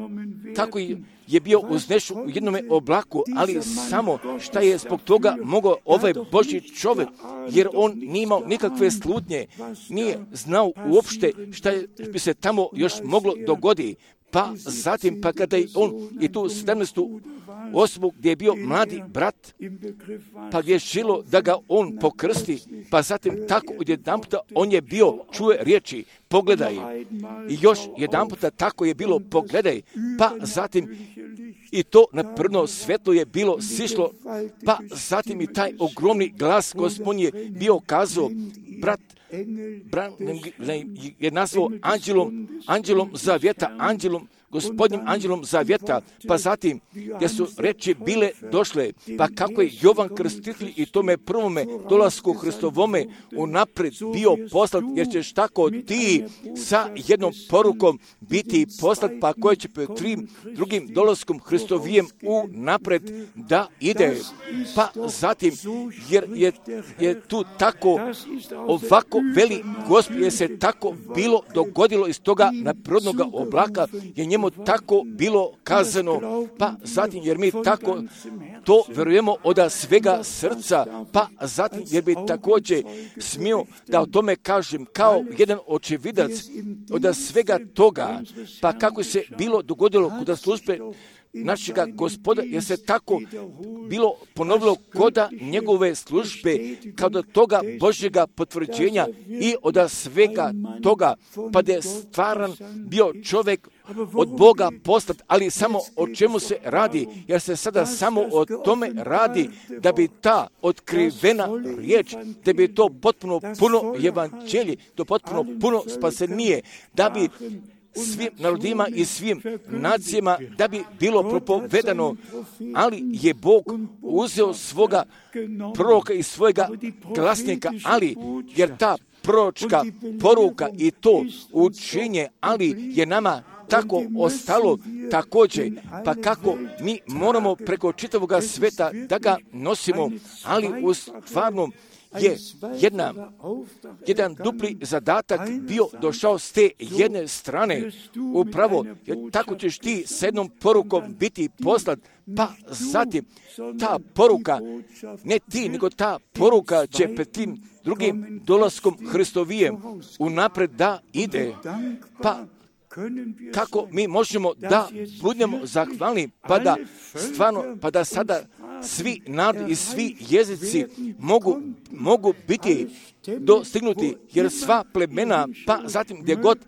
tako je bio uznešen u jednome oblaku, ali samo šta je zbog toga mogao ovaj Božji čovjek, jer on nije imao nikakve slutnje, nije znao uopšte šta bi se tamo još moglo dogoditi. Pa zatim, pa kada je on i tu 17. osobu gdje je bio mladi brat, pa gdje je želo da ga on pokrsti, pa zatim tako odjedanputa on je bio, čuje riječi, pogledaj. I još jedanputa tako je bilo, pogledaj, pa zatim i to nadprirodno svjetlo je bilo sišlo, pa zatim i taj ogromni glas Gospodin je bio kazao, brat je nazvao anđelom zavjeta, Gospodnjim anđelom zavjeta, pa zatim gdje su reči bile došle, pa kako je Jovan Krstitelj i tome prvome dolasku Hristovome unaprijed bio poslat, jer ćeš tako ti sa jednom porukom biti poslat, pa koje će pred drugim dolaskom Hristovijem unaprijed da ide. Pa zatim, jer je tu tako ovako veli Gospod, je se tako bilo dogodilo iz toga nadprirodnog oblaka, je njemu tako bilo kazano, pa zatim jer mi tako to vjerujemo od svega srca, pa zatim jer bi također smio da o tome kažem kao jedan očevidac od svega toga, pa kako se bilo dogodilo kod službe našega Gospoda, jer se tako bilo ponovilo koda njegove službe, kao do toga Božjega potvrđenja i od svega toga, pa da je stvaran bio čovjek od Boga poslat, ali samo o čemu se radi, jer se sada samo o tome radi, da bi ta otkrivena riječ, da bi to potpuno puno evanđelje, to potpuno puno spasenije, da bi svim narodima i svim nacijama, da bi bilo propovedano, ali je Bog uzeo svoga proroka i svojega glasnika, ali jer ta proročka poruka i to učenje, ali je nama tako ostalo također, pa kako mi moramo preko čitavoga sveta da ga nosimo, ali u stvarnom je jedan dupli zadatak bio došao s te jedne strane, upravo, jer tako ćeš ti s jednom porukom biti poslat, pa zatim ta poruka, ne ti, nego ta poruka će pred tim drugim dolaskom Hristovijem unapred da ide, pa kako mi možemo da budemo zahvalni, pa da stvarno, pa da sada svi narodi i svi jezici mogu biti dostignuti, jer sva plemena, pa zatim gdje god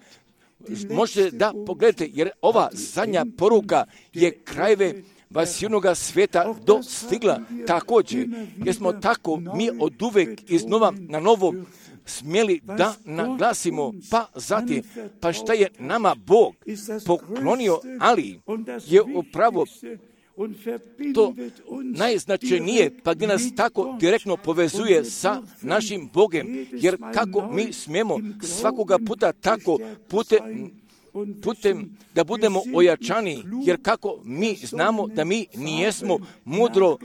možete da pogledate, jer ova zadnja poruka je krajeve vasjunoga svijeta dostigla također, jer smo tako mi od uvek iznova na novo smjeli da naglasimo, pa zatim, pa šta je nama Bog poklonio, ali je upravo to najznačajnije, pa gdje nas tako direktno povezuje sa našim Bogem, jer kako mi smijemo svakoga puta tako putem da budemo ojačani, jer kako mi znamo da mi nijesmo mudro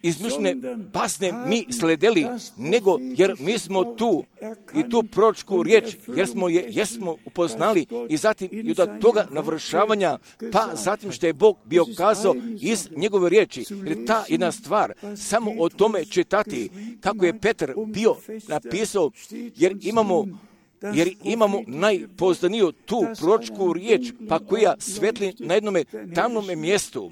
izmišljene pasne mi sledeli, nego jer mi smo tu i tu proročku riječ, jer smo upoznali i zatim i od toga navršavanja, pa zatim što je Bog bio kazao iz njegove riječi, jer ta jedna stvar, samo o tome čitati, kako je Petar bio napisao, jer imamo najpoznaniju tu proročku riječ, pa koja svetli na jednome tamnome mjestu.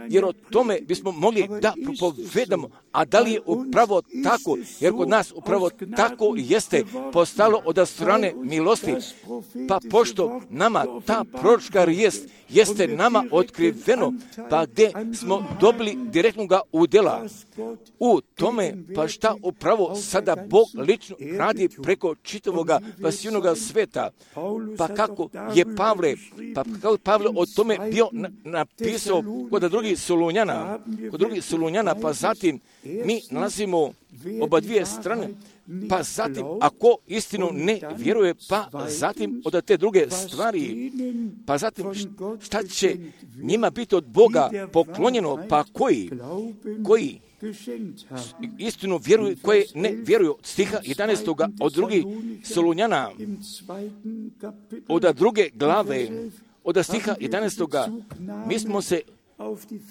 Jer o tome bismo mogli da propovedamo, a da li je upravo tako, jer kod nas upravo tako jeste postalo od strane milosti, pa pošto nama ta proročka riječ jeste nama otkriveno, pa gdje smo dobili direktnoga udjela u tome, pa šta upravo sada Bog lično radi preko čitavoga vasjunoga sveta, pa kako je Pavle o tome bio napisao kod drugih Solunjana, pa zatim mi nalazimo oba dvije strane, pa zatim ako istinu ne vjeruje, pa zatim od te druge stvari, pa zatim šta će njima biti od Boga poklonjeno, pa koji istinu vjeruju, koje ne vjeruju. Stiha 11. od drugih Solunjana, od druge glave, od stiha 11. mi smo se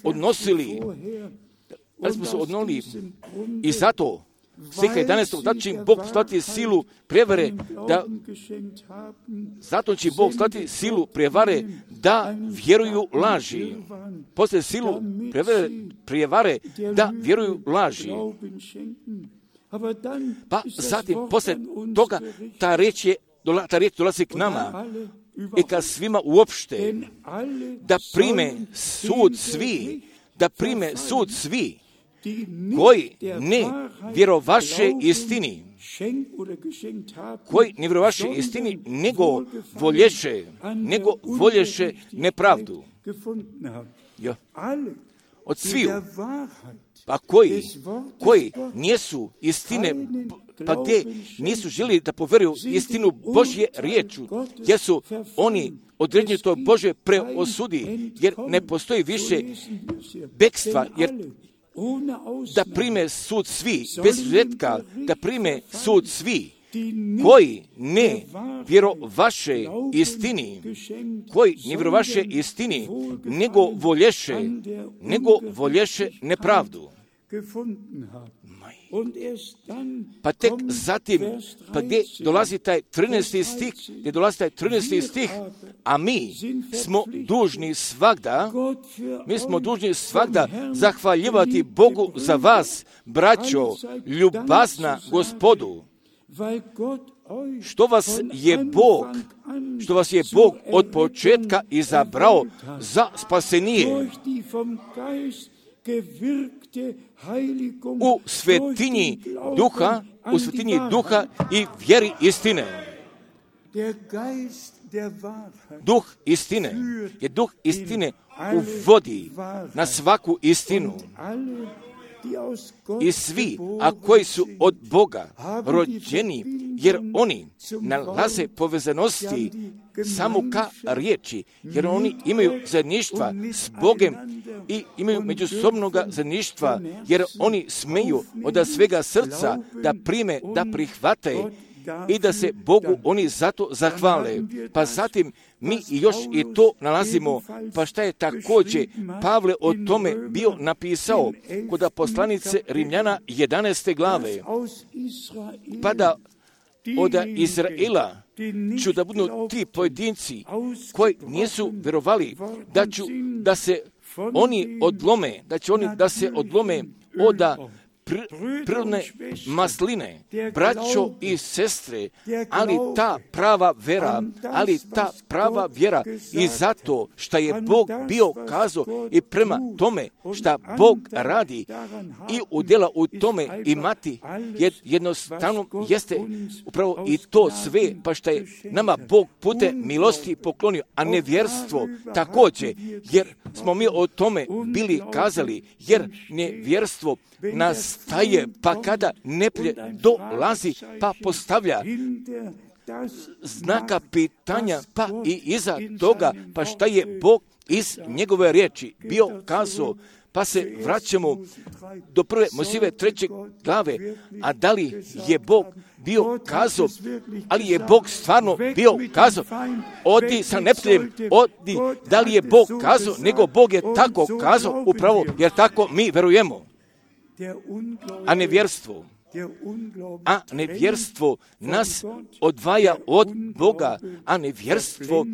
odnosili i zato stiha 11. da će im Bog slati silu prevare, zato će Bog slati silu prevare da vjeruju laži. Poslije silu prevare da vjeruju laži. Pa zatim, poslije toga, ta riječ dolazi k nama i ka svima uopšte, da prime sud svi, koji ne vjerovaše istini, nego volješe nepravdu. Ja. Od sviju. Pa koji nisu istine, pa gdje nisu želi da poveruju istinu Božje riječu, jer su oni određeni to Božje preosudi, jer ne postoji više bekstva, jer da prime sud svi, bez izuzetka, da prime sud svi, koji ne vjerovaše istini, nego volješe nepravdu. Pa tek zatim, pa gdje dolazi taj 13. stih, a mi smo dužni svagda zahvaljivati Bogu za vas, braćo, ljubazna Gospodu, što vas je Bog od početka izabrao za spasenije u svetinji duha i vjeri istine. Duh istine uvodi na svaku istinu. I svi, a koji su od Boga rođeni, jer oni nalaze povezanosti samo ka riječi, jer oni imaju zajedništva s Bogem i imaju međusobnoga zajedništva, jer oni smeju od svega srca da prime, da prihvate i da se Bogu oni zato zahvale. Pa zatim mi još i to nalazimo, pa šta je također Pavle o tome bio napisao kod poslanice Rimljana 11. glave. Pa da od Izraela ću da budu ti pojedinci koji nisu vjerovali da se oni odlome, da se odlome od prirodne masline, braćo i sestre, ali ta prava vjera i zato što je Bog bio kazao i prema tome što Bog radi i udjela u tome imati jednostavno jeste upravo i to sve, pa što je nama Bog putem milosti poklonio, a nevjerstvo također, jer smo mi o tome bili kazali, jer nevjerstvo nastaje, pa kada neplje dolazi, pa postavlja znaka pitanja, pa i iza toga, pa šta je Bog iz njegove riječi bio kazao, pa se vraćamo do 1. Mojsijeve 3. glave, a da li je Bog bio kazao, ali je Bog stvarno bio kazao, odi sa neprijateljem, odi, da li je Bog kazao, nego Bog je tako kazao upravo, jer tako mi verujemo. A nevjerstvo nas odvaja od Boga, a nevjerstvo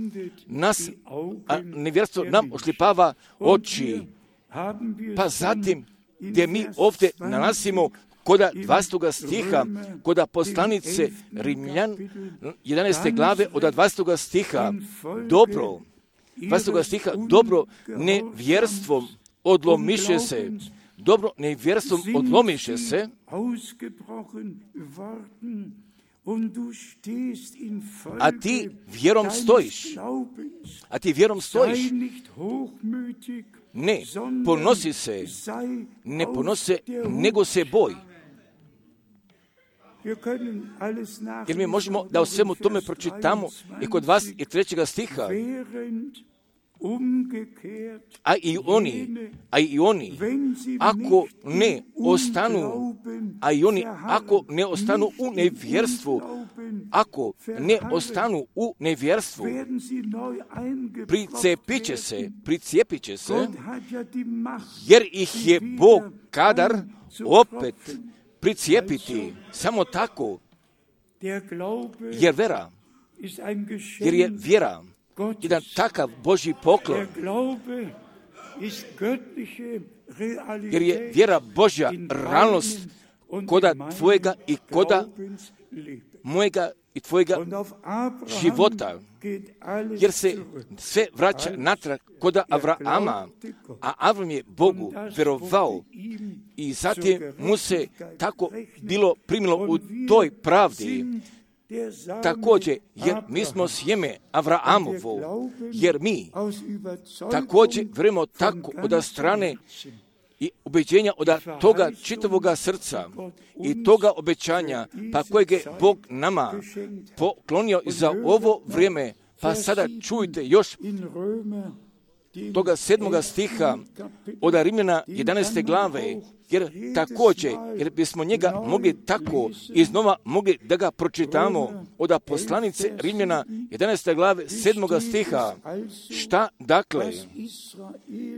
nam ošlipava oči. Pa zatim, gdje mi ovdje nalazimo koda 20. stiha, koda poslanice Rimljan 11. glave od 20. stiha, dobro nevjerstvom odlomiše se, a ti vjerom stojiš. Ne ponosi se, nego se boj. Jer mi možemo da o svemu tome pročitamo i kod vas i 3. stiha. A i oni, ako ne ostanu, u nevjerstvu, pricijepit će se, jer ih je Bog kadar opet pricijepiti, samo tako, jer je vjera jedan takav Božji poklon, jer je vjera Božja realnost koda tvojega i koda mojega i tvojega života, jer se sve vraća natrag koda Avrama, a Avram je Bogu vjerovao i zatim mu se tako bilo primilo u toj pravdi. Također, jer mi smo sjeme Avraamovo, jer mi također vjerujemo tako od strane i ubeđenja od toga čitavoga srca i toga obećanja, pa kojeg je Bog nama poklonio za ovo vrijeme. Pa sada čujte još toga 7. stiha od Rimljana 11. glave, jer također, jer bismo njega mogli tako iznova mogli da ga pročitamo od poslanice Rimljana 11. glave 7. stiha.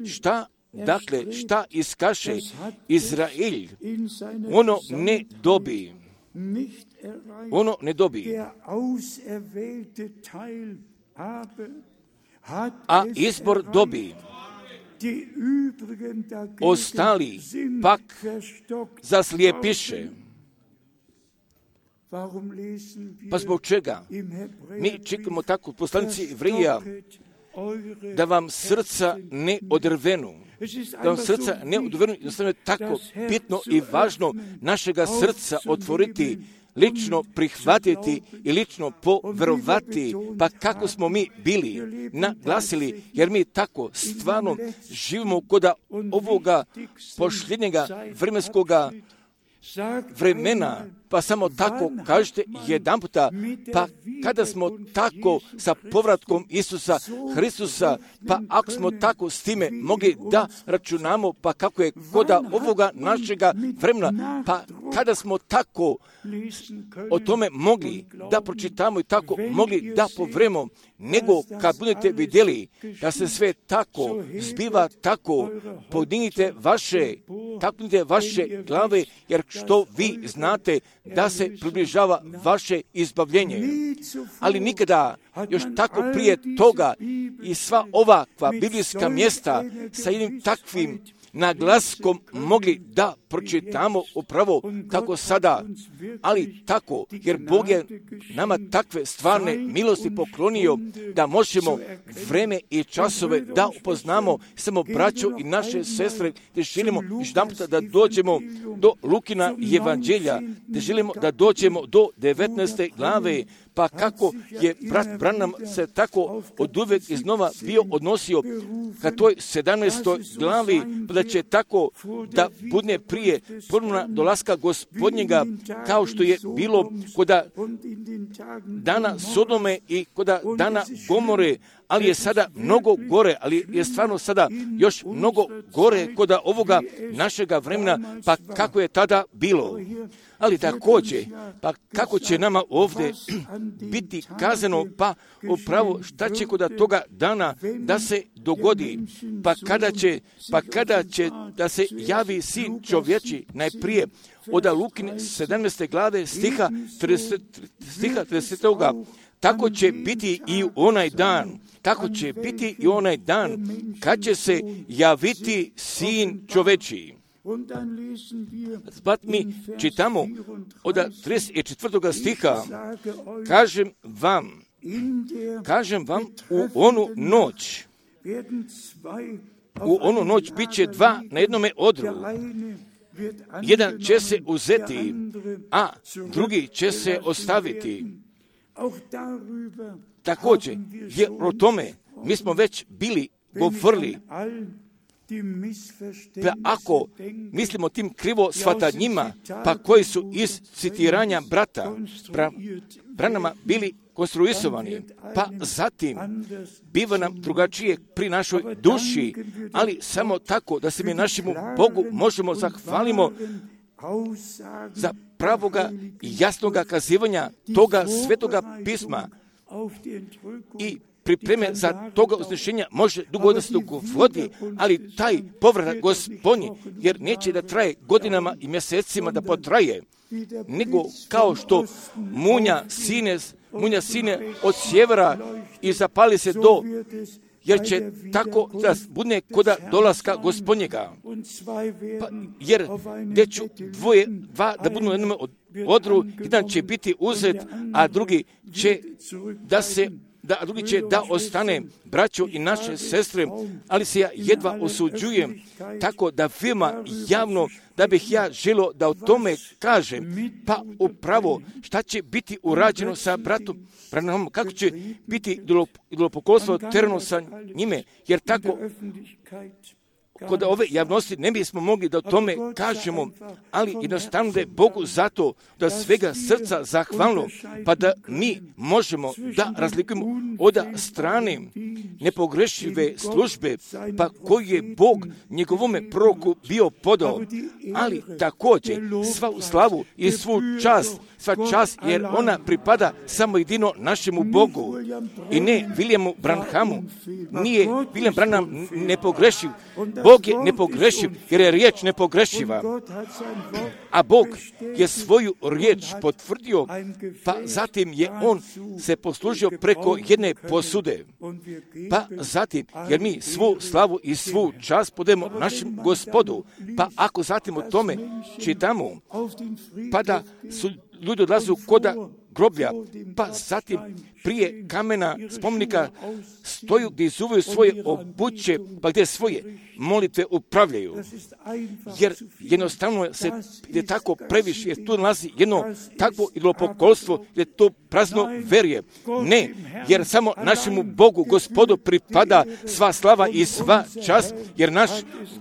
Šta Dakle, šta iskaše Izrael, ono ne dobi. Ono ne dobi. A izbor dobi. Ostali pak zaslijepiše. Pa zbog čega? Mi čekamo tako poslanici Jevrija da vam srca ne odrvenu. Da vam srca ne odrvenu, jednostavno je tako bitno i važno našega srca otvoriti, lično prihvatiti i lično poverovati, pa kako smo mi bili naglasili, jer mi tako stvarno živimo kod ovoga posljednjega vremenskoga vremena, pa samo tako kažete jedan puta, pa kada smo tako sa povratkom Isusa Hristusa, pa ako smo tako s time mogli da računamo, pa kako je kod ovoga našega vremena, pa kada smo tako o tome mogli da pročitamo i tako mogli da povremo, nego kad budete vidjeli da se sve tako zbiva, tako podignite vaše glave, jer što vi znate da se približava vaše izbavljenje. Ali nikada još tako prije toga i sva ovakva biblijska mjesta sa jednim takvim naglaskom mogli da pročitamo upravo kako sada, ali tako, jer Bog je nama takve stvarne milosti poklonio da možemo vreme i časove da upoznamo samo braćo i naše sestre, gdje želimo jedanputa da dođemo do Lukina evanđelja, gdje želimo da dođemo do 19. glave, pa kako je brat Branham se tako oduvijek iznova bio odnosio ka toj 17. glavi, pa da će tako da budne prije ponovna dolaska Gospodnjega, kao što je bilo kod dana Sodome i kod dana Gomore, ali je sada mnogo gore, ali je stvarno sada još mnogo gore kod ovoga našega vremena, pa kako je tada bilo. Ali također, pa kako će nama ovdje biti kazano, pa upravo šta će kod toga dana da se dogodi, pa kada će da se javi sin čovječi, najprije od Lukine 17. glave stiha 30. Tako će biti i onaj dan. Tako će biti i onaj dan kad će se javiti sin čovječiji. Pat mi čitamo od 34. stiha, kažem vam u onu noć bit će dva na jednome odru. Jedan će se uzeti, a drugi će se ostaviti. Također, jer o tome mi smo već bili govorili. Pa ako mislimo tim krivo shvatanjima, pa koji su iz citiranja brata Branhama bili konstruisovani, pa zatim biva nam drugačije pri našoj duši, ali samo tako da se mi našemu Bogu možemo zahvalimo za pravoga i jasnoga kazivanja toga svetoga pisma i pripreme za toga uznešenja može dugo da se dogodi, ali taj povratak Gospodnji, jer neće da traje godinama i mjesecima da potraje, nego kao što munja sine od sjevera i zapali se jer će tako da budne koda dolaska Gospodnjega. Jer gdje ću dva da budu na jednom odru, jedan će biti uzet, a drugi će da ostane, braćo i naše sestre, ali se ja jedva osuđujem, tako da veoma javno da bih ja želio da o tome kažem, pa upravo šta će biti urađeno sa bratom Branhamom, kako će biti idolopoklonstvo tereno sa njime, jer tako kod ove javnosti ne bismo mogli da o tome kažemo, ali jednostavno da je Bogu zato da svega srca zahvalno, pa da mi možemo da razlikujemo od strane nepogrešive službe, pa koji je Bog njegovome proroku bio podao, ali također svu slavu i sva čast, jer ona pripada samo jedino našemu Bogu i ne Williamu Branhamu. Nije William Branham nepogrešiv. Bog je nepogrešiv, jer je riječ nepogrešiva. A Bog je svoju riječ potvrdio, pa zatim je on se poslužio preko jedne posude. Pa zatim, jer mi svu slavu i svu čast podajemo našem Gospodu, pa ako zatim o tome čitamo, pa da su ljudi odlazu koda groblja, pa zatim prije kamena spomenika stoju gdje izuvaju svoje obuće, pa gdje svoje molitve upravljaju. Jer jednostavno se je tako previše, jer tu nalazi jedno takvo idolopokolstvo, jer to prazno verje. Ne, jer samo našemu Bogu, Gospodu, pripada sva slava i sva čast, jer naš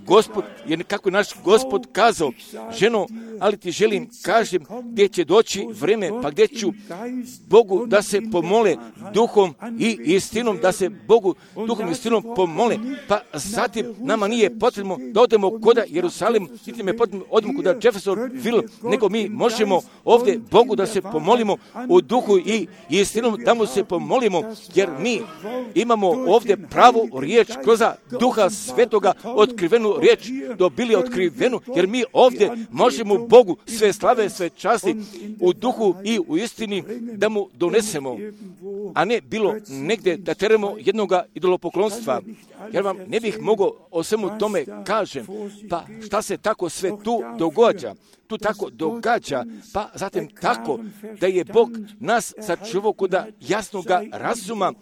Gospod, jer kako je naš Gospod kazao, ženo, ali ti želim, kažem, gdje će doći vreme, pa gdje ću Bogu da se pomole duhom i istinom, da se Bogu duhom i istinom pomole, pa zatim nama nije potrebno da odemo koda Jerusalim, niti me potrebno odemo koda Jeffersonville, nego mi možemo ovdje Bogu da se pomolimo u duhu i istinom, da mu se pomolimo, jer mi imamo ovdje pravu riječ kroz Duha Svetoga, otkrivenu riječ dobili otkrivenu, jer mi ovdje možemo Bogu sve slave, sve časti u duhu i u istini da mu donesemo, a ne bilo negdje da teremo jednoga idolopoklonstva. Jer vam ne bih mogao o svemu tome kažem, pa šta se tako sve tu događa. Tu tako događa, pa zatim tako da je Bog nas sačuvao kod jasnoga razuma,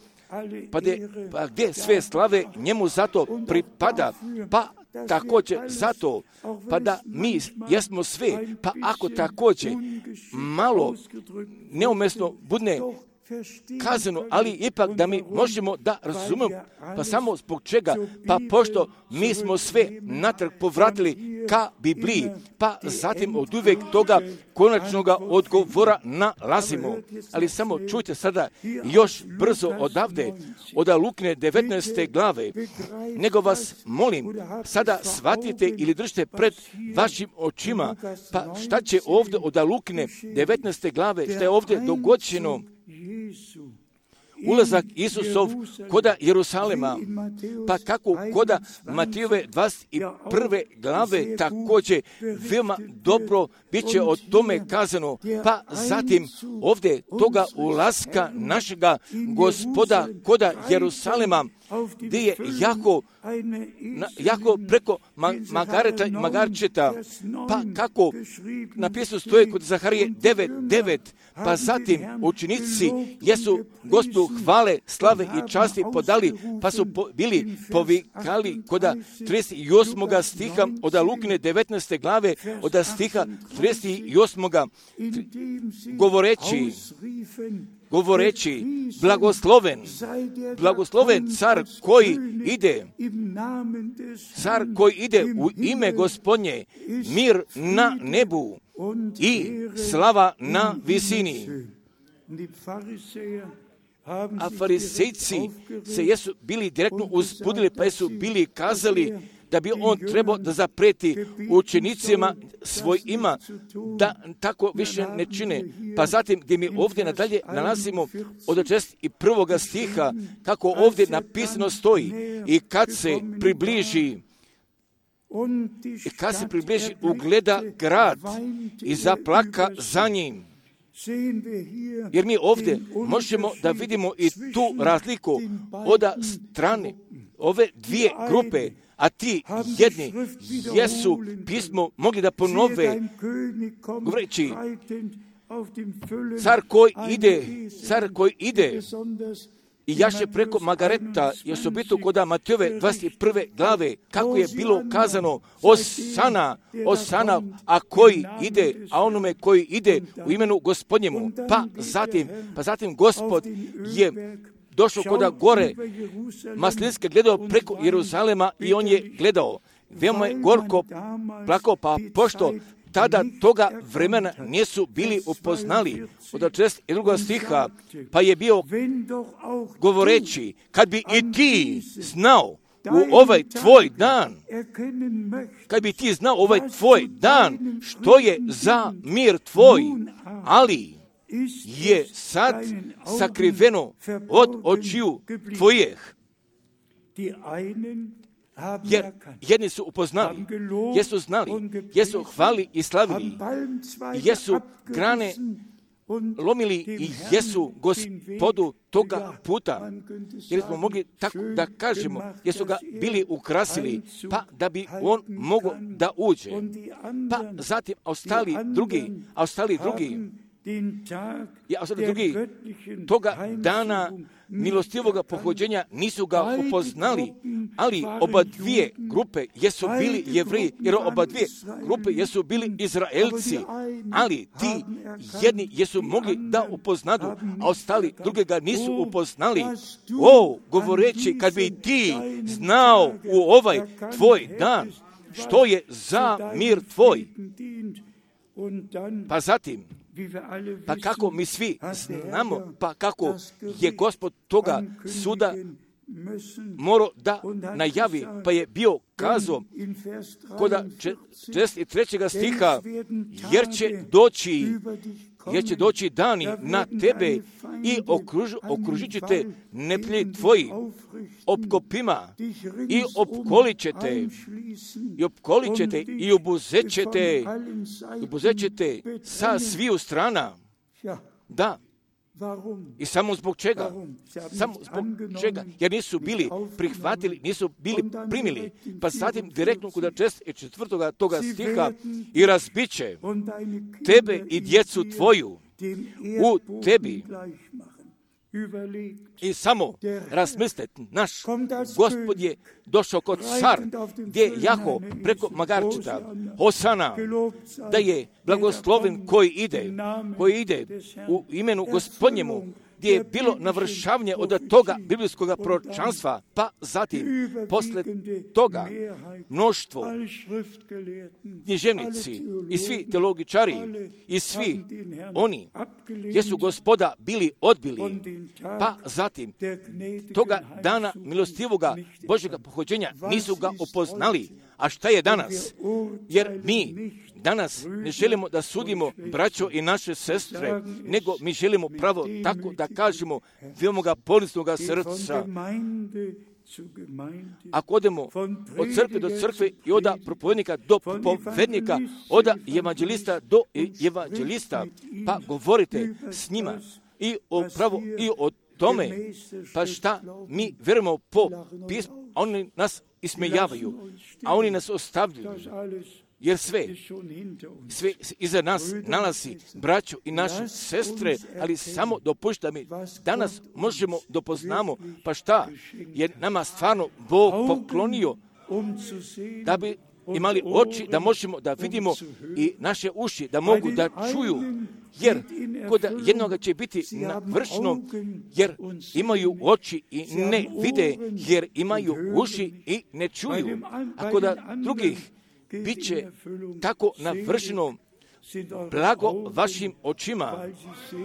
pa gdje sve slave njemu zato pripada, pa također zato, pa da mi jesmo sve, pa ako također malo neumjesno bude kazano, ali ipak da mi možemo da razumemo, pa samo zbog čega, pa pošto mi smo sve natrag povratili ka Bibliji, pa zatim od uvijek toga konačnoga odgovora nalazimo. Ali samo čujte sada još brzo odavde, od Lukine 19. glave, nego vas molim, sada shvatite ili držite pred vašim očima, pa šta će ovdje od Lukine 19. glave, šta je ovdje dogođeno, ulazak Isusov koda Jerusalema, pa kako koda Matijove 21. glave također veoma dobro bit će o tome kazano, pa zatim ovdje toga ulaska našega Gospoda koda Jerusalema, gdje je jako preko Magarčeta, pa kako napisano stoje kod Zaharije 9.9, pa zatim učenici jesu Gospodu hvale, slave i časti podali, pa su bili povikali koda 38. stiha od Lukine 19. glave, od stiha 38. govoreći, blagosloven car koji ide u ime Gospodnje, mir na nebu i slava na visini. A farisejci se jesu bili direktno uzbudili, pa jesu bili kazali da bi on trebao da zapreti učenicima svojima da tako više ne čine. Pa zatim gdje mi ovdje nadalje nalazimo od 61. stiha, kako ovdje napisano stoji, i kad se približi ugleda grad i zaplaka za njim. Jer mi ovdje možemo da vidimo i tu razliku od strane ove dvije grupe, a ti jedni jesu pismo mogli da ponove, govoreći, car koji ide i jaše preko Magareta, je osobito kod Matijove 21. glave, kako je bilo kazano, Osana, a onome koji ide u imenu Gospodnjemu. Pa zatim Gospod je došao kod gore Maslinske, gledao preko Jeruzalema i on je gledao. Veoma je gorko plakao, pa pošto tada toga vremena nisu bili upoznali. Od 62. stiha, pa je bio govoreći, kad bi i ti znao u ovaj tvoj dan, što je za mir tvoj, ali je sad sakriveno od očiju tvojih. jer jedni su upoznali, jesu znali, jesu hvali i slavili, jesu grane lomili i jesu Gospodu toga puta, jer smo mogli tako da kažemo, jesu ga bili ukrasili, pa da bi on mogao da uđe. Pa zatim ostali drugi toga dana milostivoga pohođenja nisu ga upoznali, ali oba dvije grupe jesu bili Jevreji, jer oba dvije grupe jesu bili Izraelci, ali ti jedni jesu mogli da upoznadu, a ostali druge ga nisu upoznali. Govoreći, kad bi ti znao u ovaj tvoj dan, što je za mir tvoj, pa zatim, pa kako mi svi znamo, pa kako je Gospod toga suda morao da najavi, pa je bio kazao kod 43. stiha, jer će doći dani na tebe i okružit će te neprijatelji tvoji opkopima i opkolit ćete i obuzet ćete sa sviju strana. Da. I samo zbog čega? Jer nisu bili prihvatili, nisu bili primili. Pa zatim direktno kod 4. toga stiha, i razbit će tebe i djecu tvoju u tebi. I samo razmislite, naš Gospod je došao kod car, gdje je jaho preko magarčeta, Hosana, da je blagosloven koji ide u imenu Gospodnjemu, gdje je bilo navršavanje od toga biblijskog proročanstva, pa zatim posle toga mnoštvo književnici i svi teologičari i svi oni jesu Gospoda bili odbili, pa zatim toga dana milostivoga Božjega pohođenja nisu ga upoznali. A šta je danas? Jer mi danas ne želimo da sudimo braćo i naše sestre, nego mi želimo pravo tako da kažemo veoma poniznoga srca. Ako odemo od crkve do crkve i od propovednika do propovednika, od evanđelista do evanđelista, pa govorite s njima i o pravu i o tome, pa šta mi vjerujemo po pismu, oni nas ismejavaju, a oni nas ostavljaju, jer sve iza nas nalazi braću i naše sestre, ali samo dopušta mi, danas možemo dopoznamo, pa šta je nama stvarno Bog poklonio, da bi imali oči, da možemo da vidimo i naše uši, da mogu da čuju, jer kod jednoga će biti navršeno, jer imaju oči i ne vide, jer imaju uši i ne čuju. A kod drugih bit će tako navršeno blago vašim očima,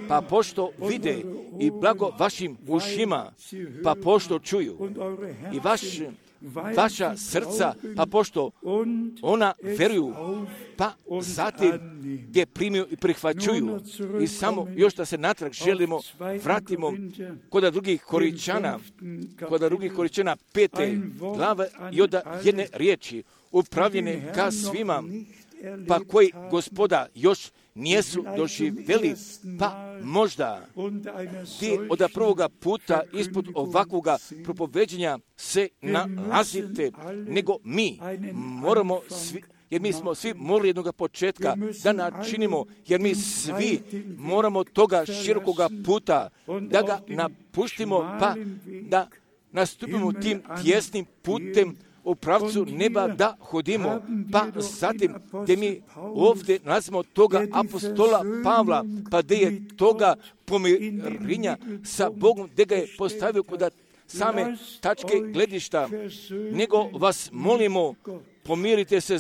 pa pošto vide, i blago vašim ušima, pa pošto čuju, i vaša srca, pa pošto ona veruju, pa zatim gdje primiju i prihvaćuju. I samo još da se natrag vratimo kod drugih Koričana 5. glave i od jedne riječi, upravljene ka svima, pa koji Gospoda još nijesu doživjeli, pa možda ti od prvoga puta ispod ovakvoga propoveđenja se nalazite, nego mi moramo svi, jer mi smo svi morali jednog početka da načinimo, jer mi svi moramo toga širokoga puta da ga napuštimo, pa da nastupimo tim tjesnim putem u pravcu neba da hodimo, pa zatim gdje mi ovdje nalazimo toga apostola Pavla, pa gdje je toga pomirenja sa Bogom, gdje ga je postavio kod same tačke gledišta, nego vas molimo, pomirite se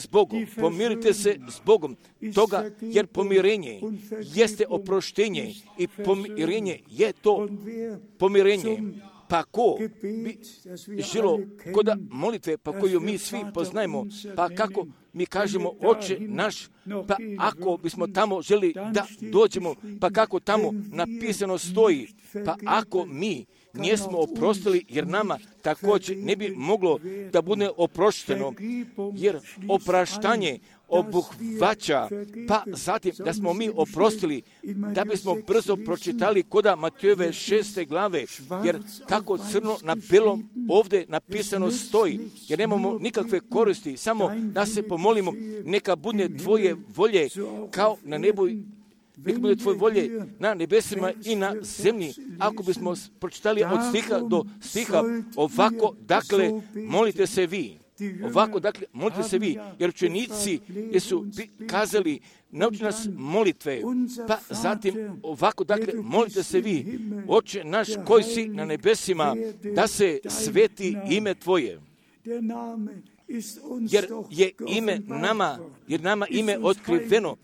s Bogom, toga, jer pomirenje jeste oproštenje i pomirenje je to pomirenje. Pa ko bi želo kod molitve, pa koju mi svi poznajemo, pa kako mi kažemo Oče naš, pa ako bismo tamo želi da dođemo, pa kako tamo napisano stoji, pa ako mi nijesmo oprostili, jer nama također ne bi moglo da bude oprošteno, jer opraštanje obuhvaća, pa zatim da smo mi oprostili, da bismo brzo pročitali koda Matejove 6. glave, jer kako crno na belom ovdje napisano stoji, jer nemamo nikakve koristi, samo da se pomolimo, neka bude tvoje volje kao na nebu, neka bude tvoje volje na nebesima i na zemlji. Ako bismo pročitali od stiha do stiha, ovako, dakle, molite se vi. Ovako, dakle, molite se vi, jer učenici su kazali, nauči nas molitve, pa zatim ovako, dakle, molite se vi, Oče naš koji si na nebesima, da se sveti ime tvoje. Jer je ime nama ime otkriveno,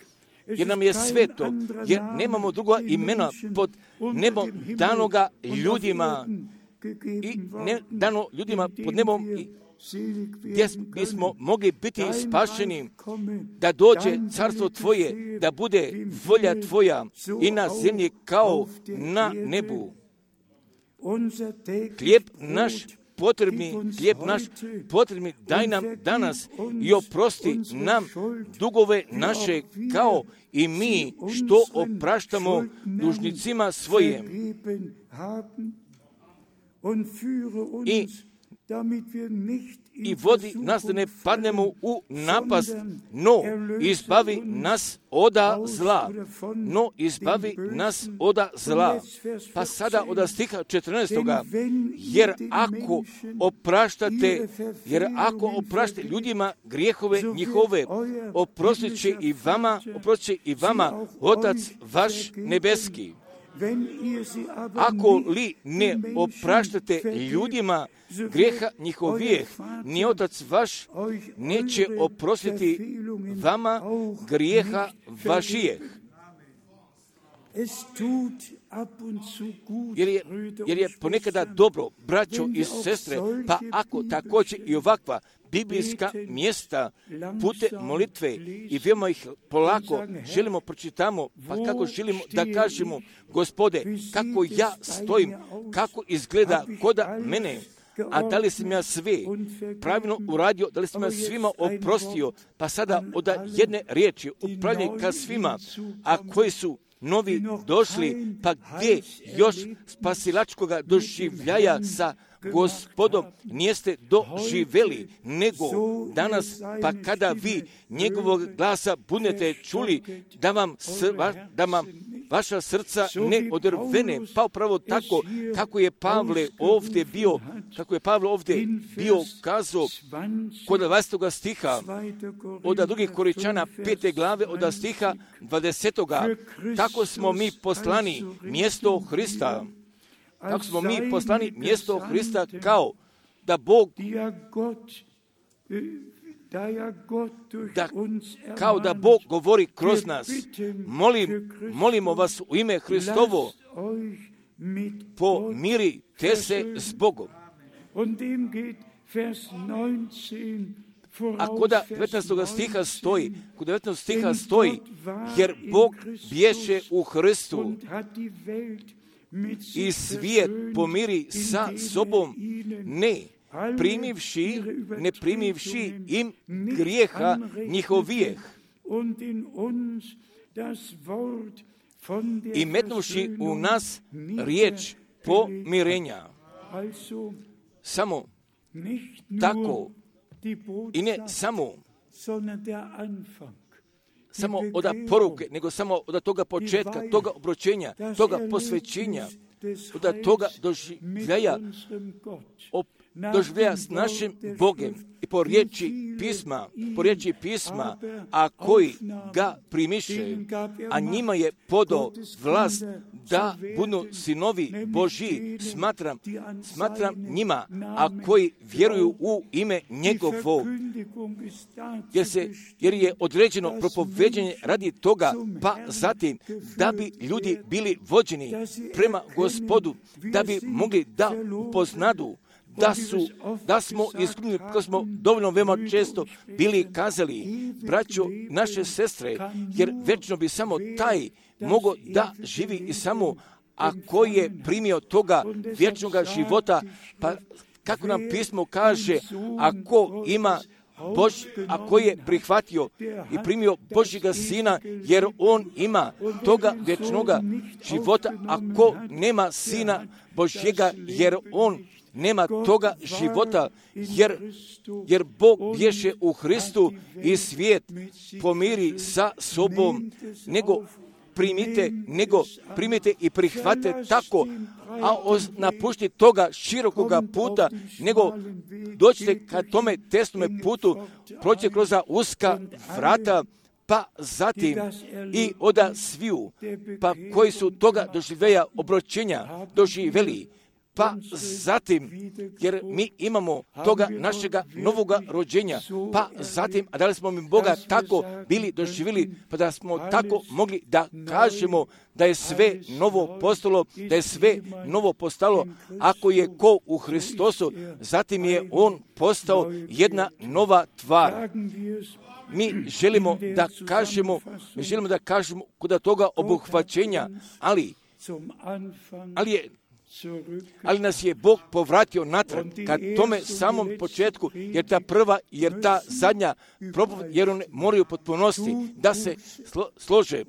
jer nam je sveto, jer nemamo druga imena pod nebom danoga ljudima i ne dano ljudima pod nebom gdje bismo mogli biti spašeni, da dođe carstvo tvoje, da bude volja tvoja i na zemlji kao na nebu. Hlijeb naš potrebni daj nam danas i oprosti nam dugove naše kao i mi što opraštamo dužnicima svojim. I vodi nas da ne padnemo u napast, no izbavi nas oda zla. Pa sada od stiha 14. Jer ako opraštate ljudima grijehove njihove, oprostit će i vama Otac vaš nebeski. Ako li ne opraštate ljudima grijeha njihovijeh, ni Otac vaš neće oprostiti vama grijeha vašijeh. Jer je ponekada dobro, braćo i sestre, pa ako također i ovakva biblijska mjesta pute molitve i veoma ih polako želimo pročitamo, pa kako želimo da kažemo, Gospode, kako ja stojim, kako izgleda koda mene, a da li sam ja sve pravilno uradio, da li sam ja svima oprostio, pa sada od jedne riječi upravljanje ka svima, a koji su novi došli, pa gdje još spasilačkoga doživljaja sa Gospodom nijeste doživeli, nego danas, pa kada vi njegovog glasa budete čuli, da vam vaša srca ne odrvene, pa upravo tako kako je Pavle ovdje bio kazao kod 20. stiha od drugih Korinčana 5. glave od stiha 20. Tako smo mi poslani mjesto Hrista. Tako smo mi poslani mjesto Hrista kao da Bog govori kroz nas. Molimo vas u ime Hristovo, pomirite se s Bogom. A kod 19. stiha stoji, jer Bog bješe u Hristu i svijet pomiri sa sobom, ne primivši im grijeha njihovijeh i metnuvši u nas riječ pomirenja. Samo tako i ne samo od poruke, nego samo od toga početka, toga obročenja, toga posvećenja, od toga doživljaja s našim Bogem i po riječi pisma, a koji ga primiše, a njima je podao vlast da budu sinovi Božji, smatram njima, a koji vjeruju u ime njegovo, jer je određeno propoveđenje radi toga, pa zatim da bi ljudi bili vođeni prema Gospodu, da bi mogli da upoznadu da smo iskreni, kako smo dovoljno veoma često bili kazali, braćo, naše sestre, jer večno bi samo taj mogao da živi i samo a ko je primio toga vječnoga života, pa kako nam pismo kaže, ako je prihvatio i primio Božjega Sina, jer on ima toga vječnoga života, ako nema Sina Božjega, jer on nema toga života, jer Bog bješe u Hristu i svijet pomiri sa sobom, nego primite i prihvate tako, a napušti toga širokoga puta, nego dođite ka tome tesnome putu, prođite kroz uska vrata, pa zatim i oda sviju, pa koji su toga doživeli, pa zatim, jer mi imamo toga našega novoga rođenja, pa zatim, a da li smo mi Boga tako bili doživjeli, pa da smo tako mogli da kažemo da je sve novo postalo, da je sve novo postalo, ako je ko u Hristosu, zatim je on postao jedna nova tvar. Mi želimo da kažemo kod toga obuhvaćenja, ali nas je Bog povratio natrag ka tome samom početku, jer ta zadnja propoved, jer one moraju potpunosti da se slože.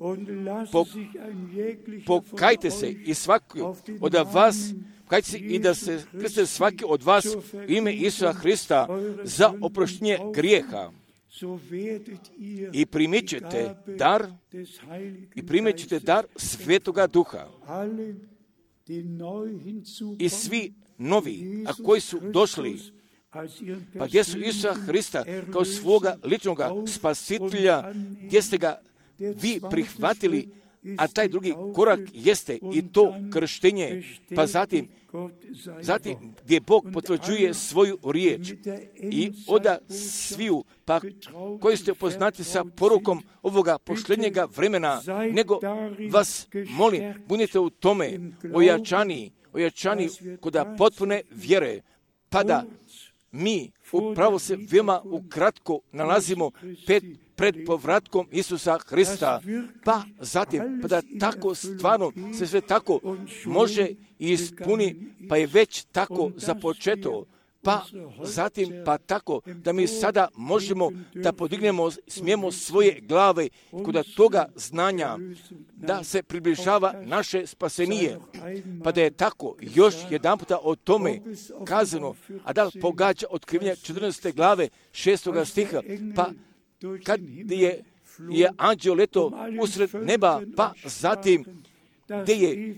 Pokajte se i svaki od vas, pokajte se i da se krste svaki od vas u ime Isusa Hrista za oproštenje grijeha. I primit ćete dar Svetoga Duha. I svi novi, a koji su došli, pa gdje su Isusa Hrista kao svoga ličnoga spasitelja, gdje ste ga vi prihvatili, a taj drugi korak jeste i to krštenje, pa zatim gdje Bog potvrđuje svoju riječ i oda sviju, pa koji ste upoznati sa porukom ovoga posljednjega vremena, nego vas molim, budite u tome ojačani kod potpune vjere, pa da mi upravo se veoma ukratko nalazimo pred povratkom Isusa Hrista, pa zatim, pa da tako stvarno se sve tako može i ispuni, pa je već tako započeto, pa zatim, pa tako da mi sada možemo da smijemo svoje glave kod toga znanja, da se približava naše spasenije, pa da je tako još jedan puta o tome kazano, a da pogađa otkrivenje 14. glave 6. stiha, pa kad je anđeo leto usred neba, pa zatim gdje je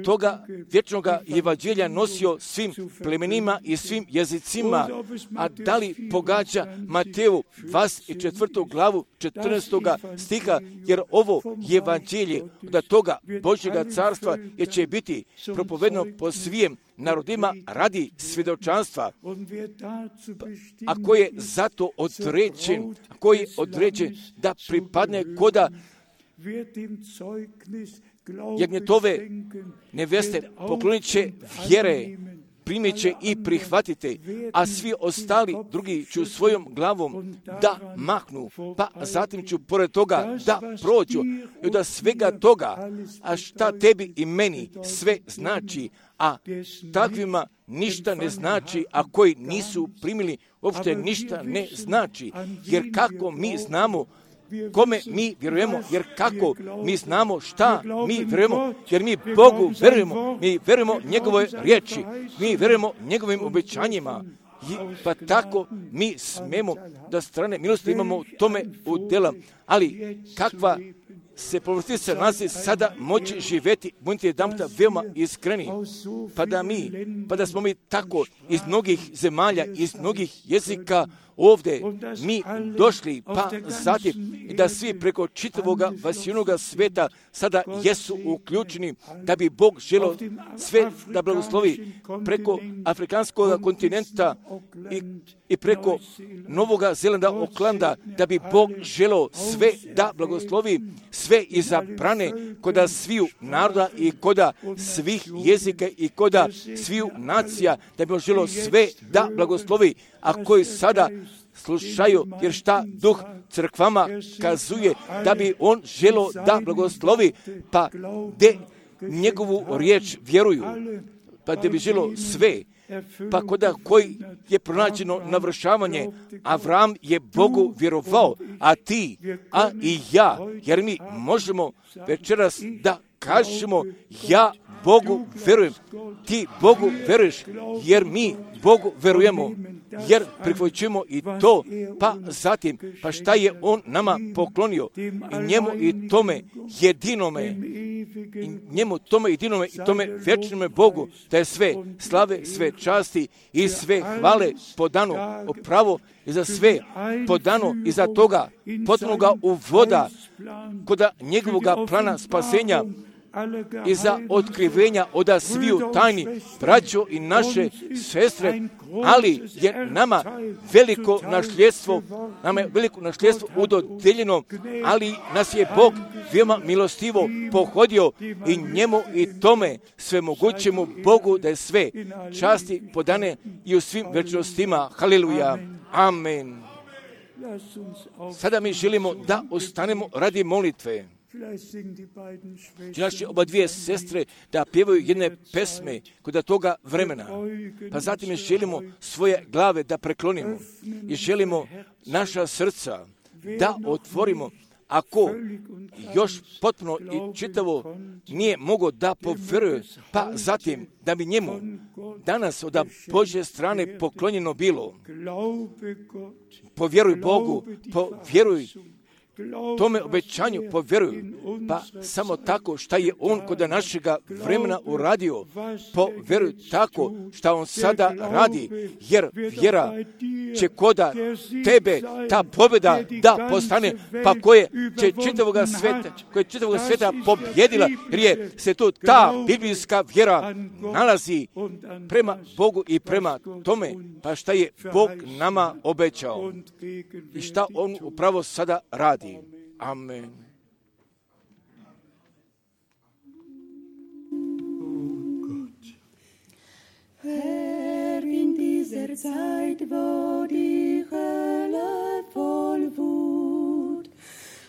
toga vječnoga evanđelja nosio svim plemenima i svim jezicima, a da li pogađa Mateju 24. glavu 14. stiha, jer ovo evanđelje da toga Božjega carstva je će biti propovedeno po svijem narodima radi svjedočanstva. Ako je zato određen da pripadne koda jagnjetove neveste, poklonit će vjere, primit će i prihvatite, a svi ostali drugi ću svojom glavom da mahnu, pa zatim ću pored toga da prođu i da svega toga, a šta tebi i meni sve znači, a takvima ništa ne znači, a koji nisu primili, uopšte ništa ne znači, jer kako mi znamo kome mi vjerujemo, jer kako mi znamo šta mi vjerujemo, jer mi Bogu vjerujemo njegove riječi, mi vjerujemo njegovim obećanjima, pa tako mi smemo da strane milosti imamo u tome udjela, ali kakva se povrtica nalazi sada moći živjeti, budite jedanputa veoma iskreni, pa da smo mi tako iz mnogih zemalja, iz mnogih jezika ovdje mi došli, pa zatim i da svi preko čitavoga vasijenoga sveta sada jesu uključeni, da bi Bog želio sve da blagoslovi preko afrikanskog kontinenta i preko Novoga Zelanda, Oklanda, da bi Bog želio sve da blagoslovi, sve izabrane koda sviju naroda i koda svih jezika i koda sviju nacija, da bi on želio sve da blagoslovi, a koji sada slušaju, jer šta Duh crkvama kazuje, da bi on želio da blagoslovi, pa njegovu riječ vjeruju, pa da bi žilo sve, pa koda koji je pronađeno navršavanje, Avram je Bogu vjerovao, a ti, a i ja, jer mi možemo večeras da kažemo, ja Bogu vjerujem, ti Bogu vjeruješ, jer mi Bogu vjerujemo, jer prihvaćujemo i to, pa zatim, pa šta je On nama poklonio i njemu i tome jedinome, i tome vječnome Bogu, da je sve slave, sve časti i sve hvale podano upravo i za sve podano i za toga potpunoga uvoda koda njegovoga plana spasenja i za otkrivenja oda sviju tajni, braćo i naše sestre, ali je nama veliko nasljedstvo udodeljeno, ali nas je Bog veoma milostivo pohodio i njemu i tome svemogućemu Bogu da je sve časti podane i u svim večnostima. Haleluja. Amen. Sada mi želimo da ostanemo radi molitve. Naše oba dvije sestre da pjevaju jedne pesme kod toga vremena. Pa zatim želimo svoje glave da preklonimo i želimo naša srca da otvorimo. Ako još potpuno i čitavo nije mogao da povjeruje, pa zatim da bi njemu danas od Božje strane poklonjeno bilo. Povjeruj Bogu, povjeruj tome obećanju, povjeruj, pa samo tako šta je On kod našega vremena uradio, povjeruj tako šta On sada radi, jer vjera će koda tebe ta pobjeda da postane, pa koje će čitavoga sveta pobjedila, jer je se tu ta biblijska vjera nalazi prema Bogu i prema tome, pa šta je Bog nama obećao i šta On upravo sada radi. Amen. Herr, in dieser Zeit, wo die Hölle voll Wut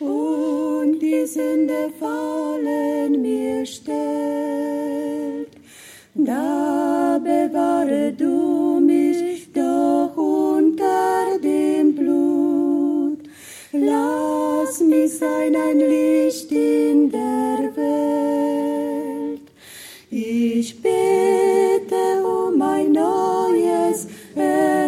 und die Sünde fallen mir stellt, da bewahre du mich doch unter dem Blut. Lass mich sein ein Licht in der Welt. Ich bete um ein neues Erleben,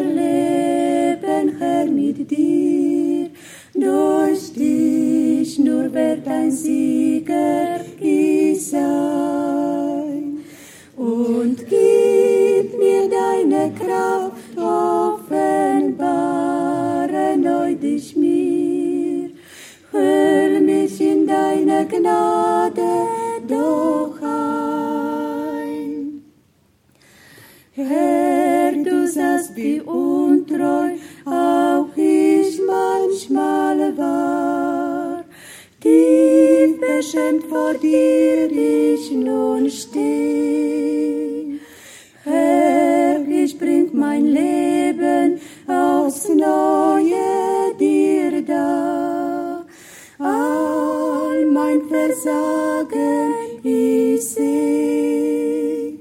Herr, mit dir. Durch dich nur wird ein Sieger ich sein. Und gib mir deine Kraft, offenbare neu dich mir. Hüll mich in deine Gnade doch ein. Herr, du sahst, wie untreu auch ich manchmal war. Tief beschämt vor dir ich nun steh. Herr, ich bring mein Leben aufs Neue dir dar. All mein Versagen ich seh.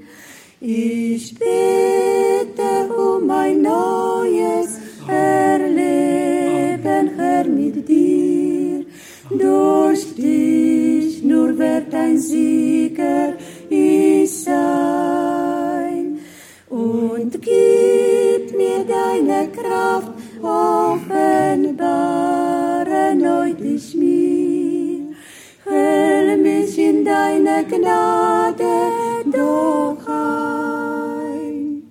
Ich bete um ein neues Erleben, Herr, mit dir. Durch dich nur wird ein Sieger ich sein. Und gib mir deine Kraft, offenbare neu dich mir. Hüll mich in deine Gnade doch ein.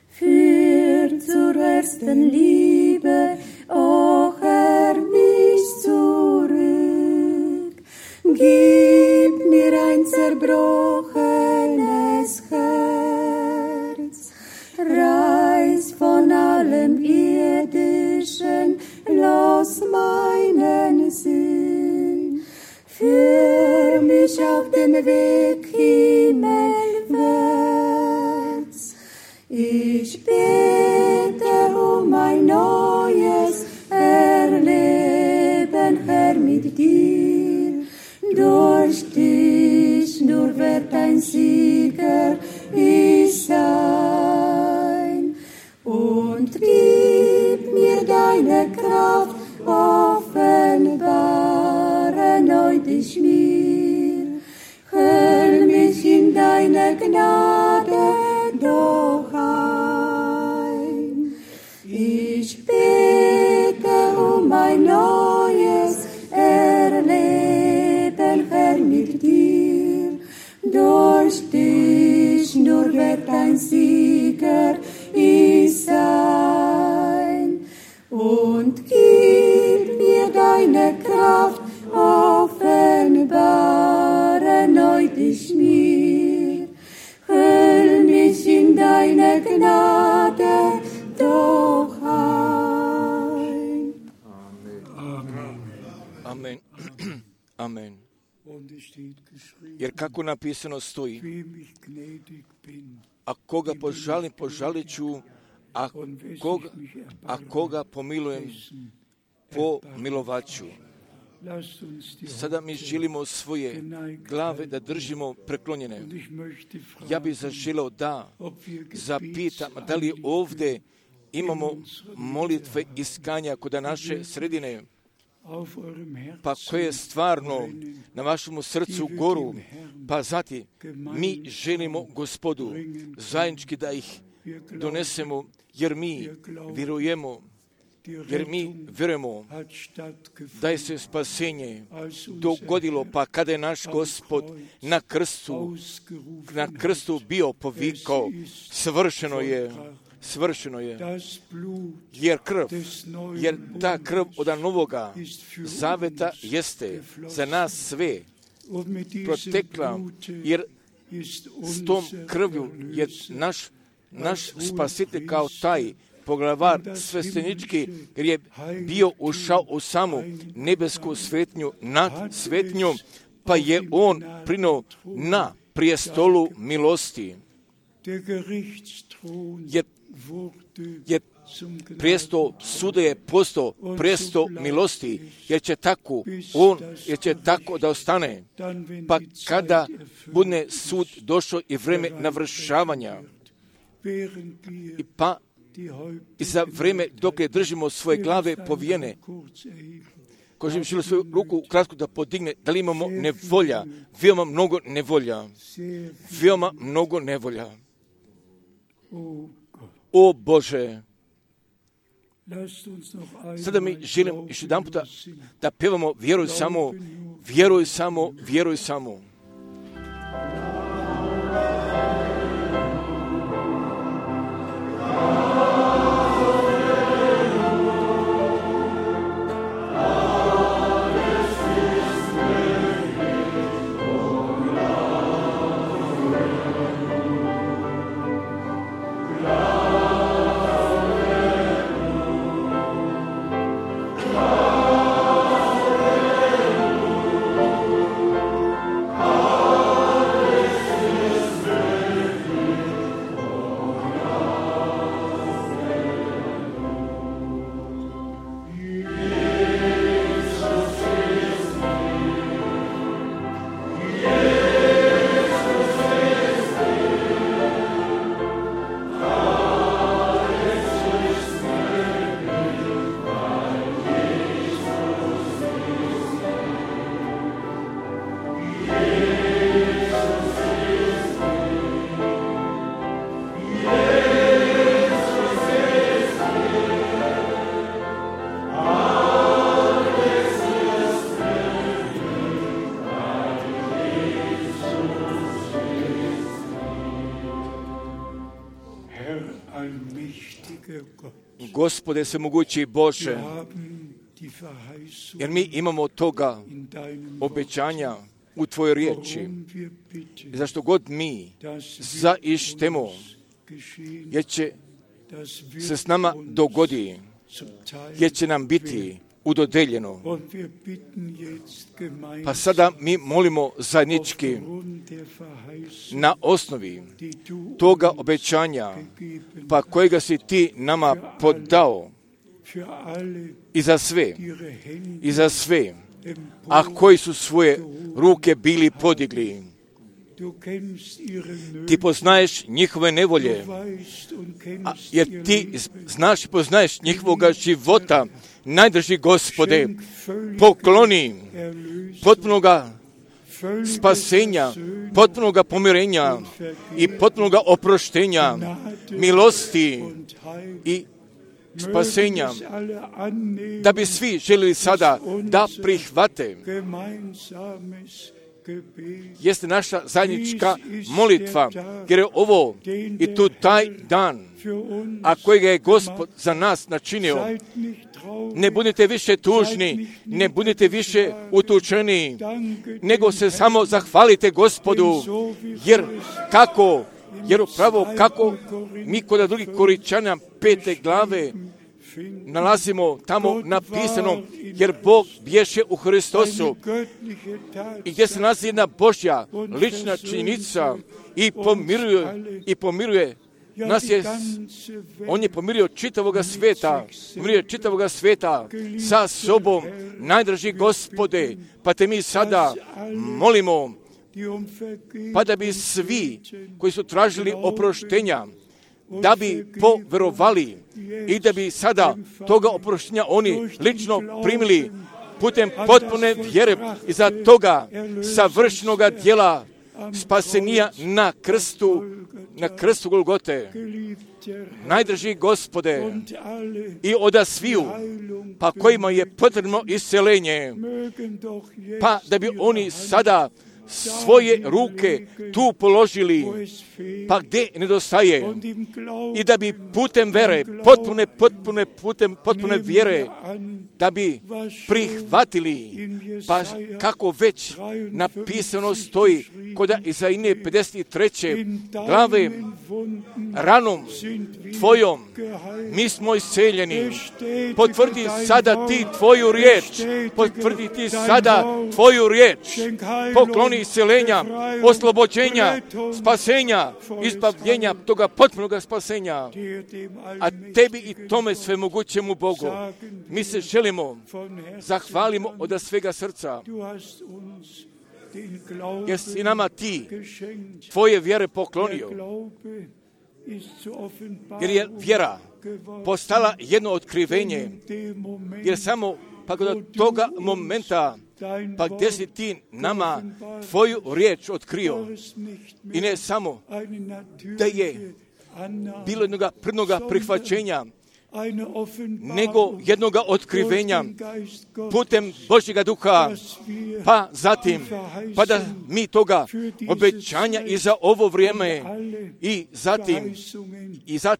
Führ zur ersten Liebe, o Herr, mich zurück. Gib mir ein zerbrochenes Herz. Reiß von allem Irdischen los meinen Sinn. Führ mich auf den Weg himmelwärts. Ich bete um ein neues Erleben, Herr, mit dir. Durch dich Sieger ich sein. Und gib mir deine Kraft, offenbare neu dich mir. Hüll mich in deine Gnade doch ein. Ich bete um ein neues Erleben, Herr, mit dir. Durch dich nur wird ein Sieger ich sein. Und gib mir deine Kraft, offenbare neu dich mir. Hüll mich in deine Gnade doch ein. Amen. Amen. Jer kako napisano stoji, a koga požalim, požalit ću, a koga pomilujem, pomilovat ću. Sada mi želimo svoje glave da držimo preklonjene. Ja bih zaželeo da zapitam, da li ovdje imamo molitve iskanja kod naše sredine, pa koje stvarno na vašemu srcu goru, pa zatim mi želimo Gospodu zajednički da ih donesemo, jer mi vjerujemo, da je se spasenje dogodilo, pa kada je naš Gospod na krstu bio povikao, svršeno je, jer ta krv od novoga zaveta jeste za nas sve protekla, jer s tom krvju je naš spasitelj kao taj poglavar sveštenički, jer je bio ušao u samu nebesku svetnju nad svetnjom, pa je on prinuo na prijestolu milosti. Jer prijestol suda je postao prijestol milosti, jer će tako da ostane. Pa kada bude sud došao i vreme navršavanja, i za vreme dok je držimo svoje glave povijene, ko želi svoju ruku kratko da podigne, da li imamo nevolja, veoma mnogo nevolja. O Bože, sada mi želim još jedan puta da pevamo vjeruj samo. Gospode svemogući Bože, jer mi imamo toga obećanja u Tvojoj riječi, zašto god mi zaištemo, jer će se s nama dogodi, jer će nam biti udodeljeno. Pa sada mi molimo zajednički na osnovi toga obećanja, pa kojega si Ti nama podao i za sve, a koji su svoje ruke bili podigli. Ti poznaješ njihove nevolje, jer ti znaš i poznaješ njihovoga života. Najdrži Gospode, pokloni potpunoga spasenja, potpunoga pomirenja i potpunoga oproštenja, milosti i spasenja, da bi svi želili sada da prihvate. Jeste naša zajednička molitva, jer je ovo i tu taj dan, a kojega je Gospod za nas načinio. Ne budite više tužni, ne budite više utučeni, nego se samo zahvalite Gospodu, jer upravo kako mi kod drugih Koričana 5. glave nalazimo tamo napisano, jer Bog bješe u Hristosu i gdje se nalazi jedna Božja lična činjenica i pomiruje nas on je pomirio čitavoga sveta sa sobom. Najdraži Gospode, pa te mi sada molimo, pa da bi svi koji su tražili oproštenja, da bi poverovali i da bi sada toga oproštenja oni lično primili putem potpune vjere i za toga savršenoga djela spasenija na krstu Golgote. Najdraži Gospode, i oda sviju, pa kojima je potrebno isceljenje, pa da bi oni sada svoje ruke tu položili, pa gdje nedostaje, i da bi putem vere, potpune vjere, da bi prihvatili, pa kako već napisano stoji kod Izaije 53. glave, ranom Tvojom mi smo isceljeni. Potvrdi sada ti Tvoju riječ, pokloni isceljenja, oslobođenja, spasenja, izbavljenja toga potpunog spasenja. A tebi i tome svemogućemu Bogu mi se želimo, zahvalimo od svega srca, jer si nama ti Tvoje vjere poklonio, jer je vjera postala jedno otkrivenje, jer samo pa kod toga momenta, pa gdje si ti nama Tvoju riječ otkrio, i ne samo da je bilo jednoga prvnoga prihvaćenja, nego jednoga otkrivenja putem Božjega duha, pa zatim, pa da mi toga obećanja i za ovo vrijeme i zatim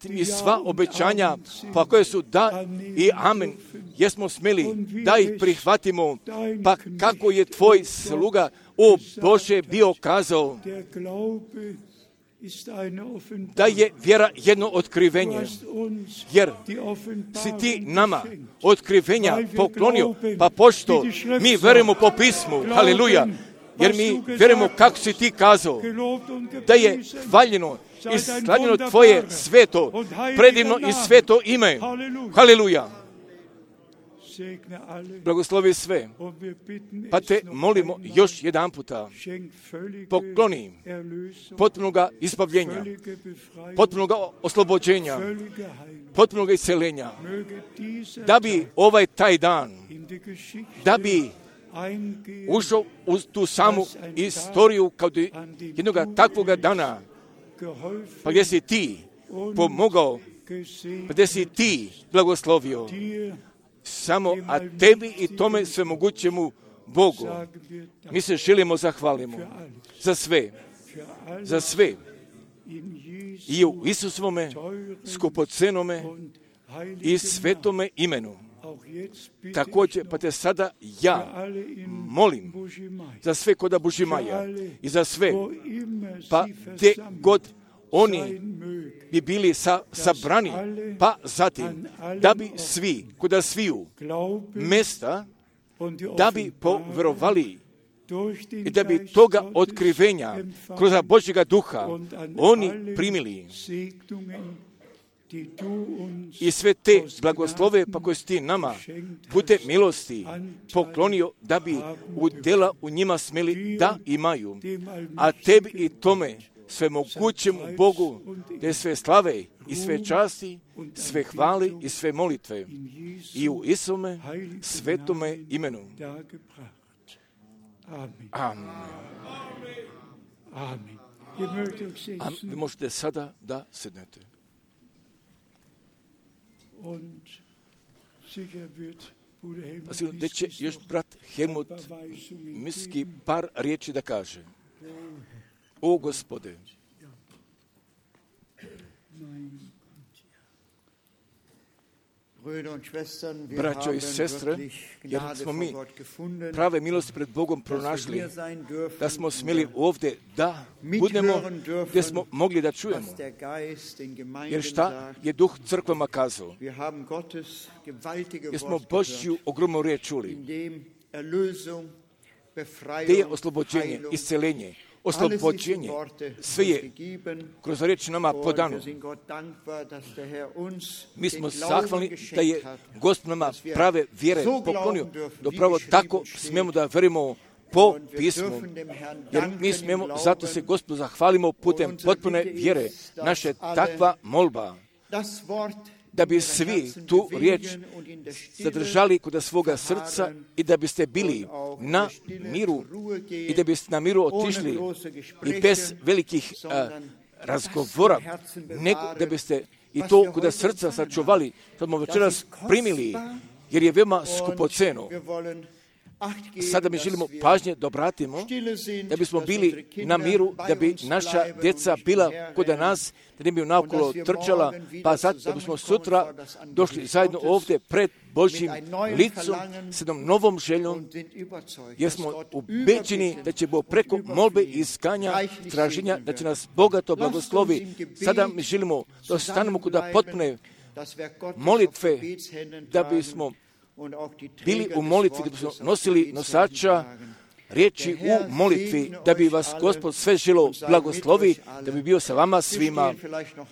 i sva obećanja, pa koje su da i amen, jesmo smjeli da ih prihvatimo, pa kako je Tvoj sluga, o Bože, bio kazao, da je vjera jedno otkrivenje, jer si ti nama otkrivenja poklonio, pa pošto mi verujemo po pismu, haleluja, jer mi verujemo kako si ti kazao, da je hvaljeno i slavljeno Tvoje sveto, predivno i sveto ime, haleluja. Blagoslovi sve, pa te molimo još jedan puta, pokloni potpunoga izbavljenja, potpunoga oslobođenja, potpunoga isceljenja, da bi ovaj taj dan, da bi ušao u tu samu istoriju kao jednoga takvoga dana, pa gdje si ti pomogao, pa gdje si ti blagoslovio, samo, a tebi i tome svemogućemu Bogu mi se želimo zahvalimo za sve i u Isusovome skupocenome i svetome imenu. Također, pa te sada ja molim za sve koda Bužimaja i za sve, pa gdje god oni bi bili sabrani, pa zatim da bi svi, kuda sviju mjesta, da bi povjerovali i da bi toga otkrivenja kroz Božjega duha oni primili i sve te blagoslove pa koje si ti nama putem milosti poklonio da bi udjela u njima smjeli da imaju, a tebi i tome svemogućem Bogu te sve slave i sve časti, sve hvali i sve molitve i u Isume svetome imenu. Amen. A vi možete sada da sednete. Pa da će još brat Helmut Miski par riječi da kaže. O Gospode, braćo i sestre, jer smo mi prave milosti pred Bogom pronašli, da smo smjeli ovdje da budemo gdje smo mogli da čujemo. Jer šta je Duh crkvama kazao? Jer smo Božju ogromnu riječ čuli. Gdje je oslobođenje, isceljenje, oslobođenje, sve je kroz riječ nama podano. Mi smo zahvalni da je Gospod nama prave vjere poklonio, da upravo tako smijemo da verujemo po pismu. Jer mi smijemo, zato se Gospodu zahvalimo putem potpune vjere. Naša je takva molba da bi svi tu riječ zadržali kod svoga srca i da biste bili na miru i da biste na miru otišli i bez velikih razgovora, nego da biste i to kod srca sačuvali, što smo večeras primili, jer je veoma skupoceno. Sada mi želimo pažnje da obratimo, da bismo bili na miru, da bi naša djeca bila kod nas, da ne bi naokolo trčala, pa zato da bismo sutra došli zajedno ovdje pred Božjim licom s jednom novom željom, jer smo ubeđeni da će Bog preko molbe i iskanja, traženja, da će nas bogato blagoslovi. Sada mi želimo da ostanemo kod potpune molitve, da bismo bili u molitvi, da bismo nosili nosača riječi u molitvi, da bi vas Gospod sve želo blagoslovi, da bi bio sa vama svima.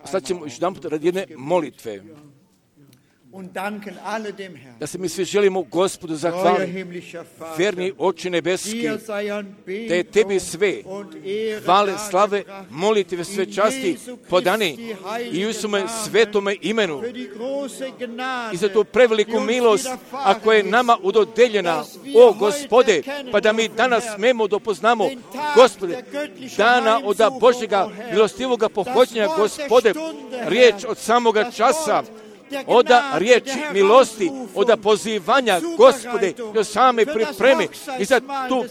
Sad ćemo još jedan put radi jedne molitve. Da se mi svi želimo Gospodu zahvaliti. Verni Oče nebeski, da je tebi sve hvale, slave, molitve, sve časti podani i u Isume svetome imenu. I za tu preveliku milost, ako je nama udodeljena, o Gospode, pa da mi danas smemo dopoznamo, Gospode, dana od Božjega milostivoga pohođenja, Gospode, riječ od samoga časa, oda riječi milosti, oda pozivanja, Gospode, do same pripreme i za tu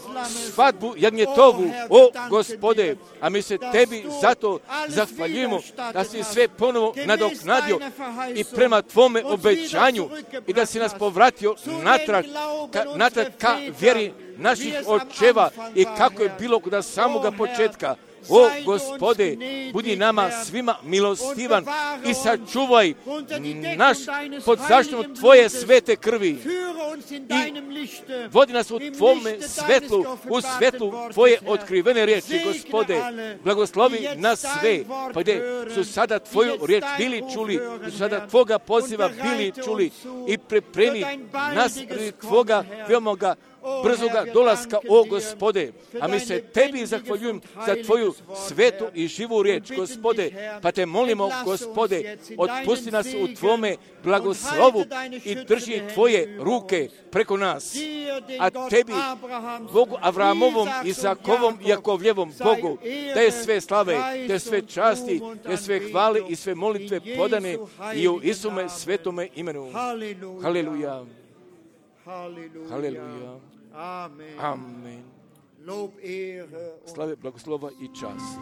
svadbu jagnjetovu, o Gospode, a mi se tebi zato zahvaljujemo da si sve ponovo nadoknadio i prema tvome obećanju i da si nas povratio natrag ka vjeri naših očeva i kako je bilo kod samoga početka. O Gospode, budi nama svima milostivan i sačuvaj naš pod zaštitom Tvoje svete krvi i vodi nas u Tvome svetlu, u svetlu Tvoje otkrivene riječi, Gospode. Blagoslovi nas sve, pa gdje su sada Tvoju riječ bili čuli, su sada Tvoga poziva bili čuli i pripremi nas Tvoga veomoga brzoga dolaska, o Gospode, a mi se tebi zahvaljujem za Tvoju svetu i živu riječ, Gospode, pa te molimo, Gospode, otpusti nas u Tvome blagoslovu i drži Tvoje ruke preko nas, a tebi, Bogu Avramovom, Izakovom i Jakovljevom Bogu, da je sve slave, da je sve časti, da je sve hvale i sve molitve podane i u Isume svetome imenu. Haleluja. Haleluja. Amen. Slave, blagoslova i čast.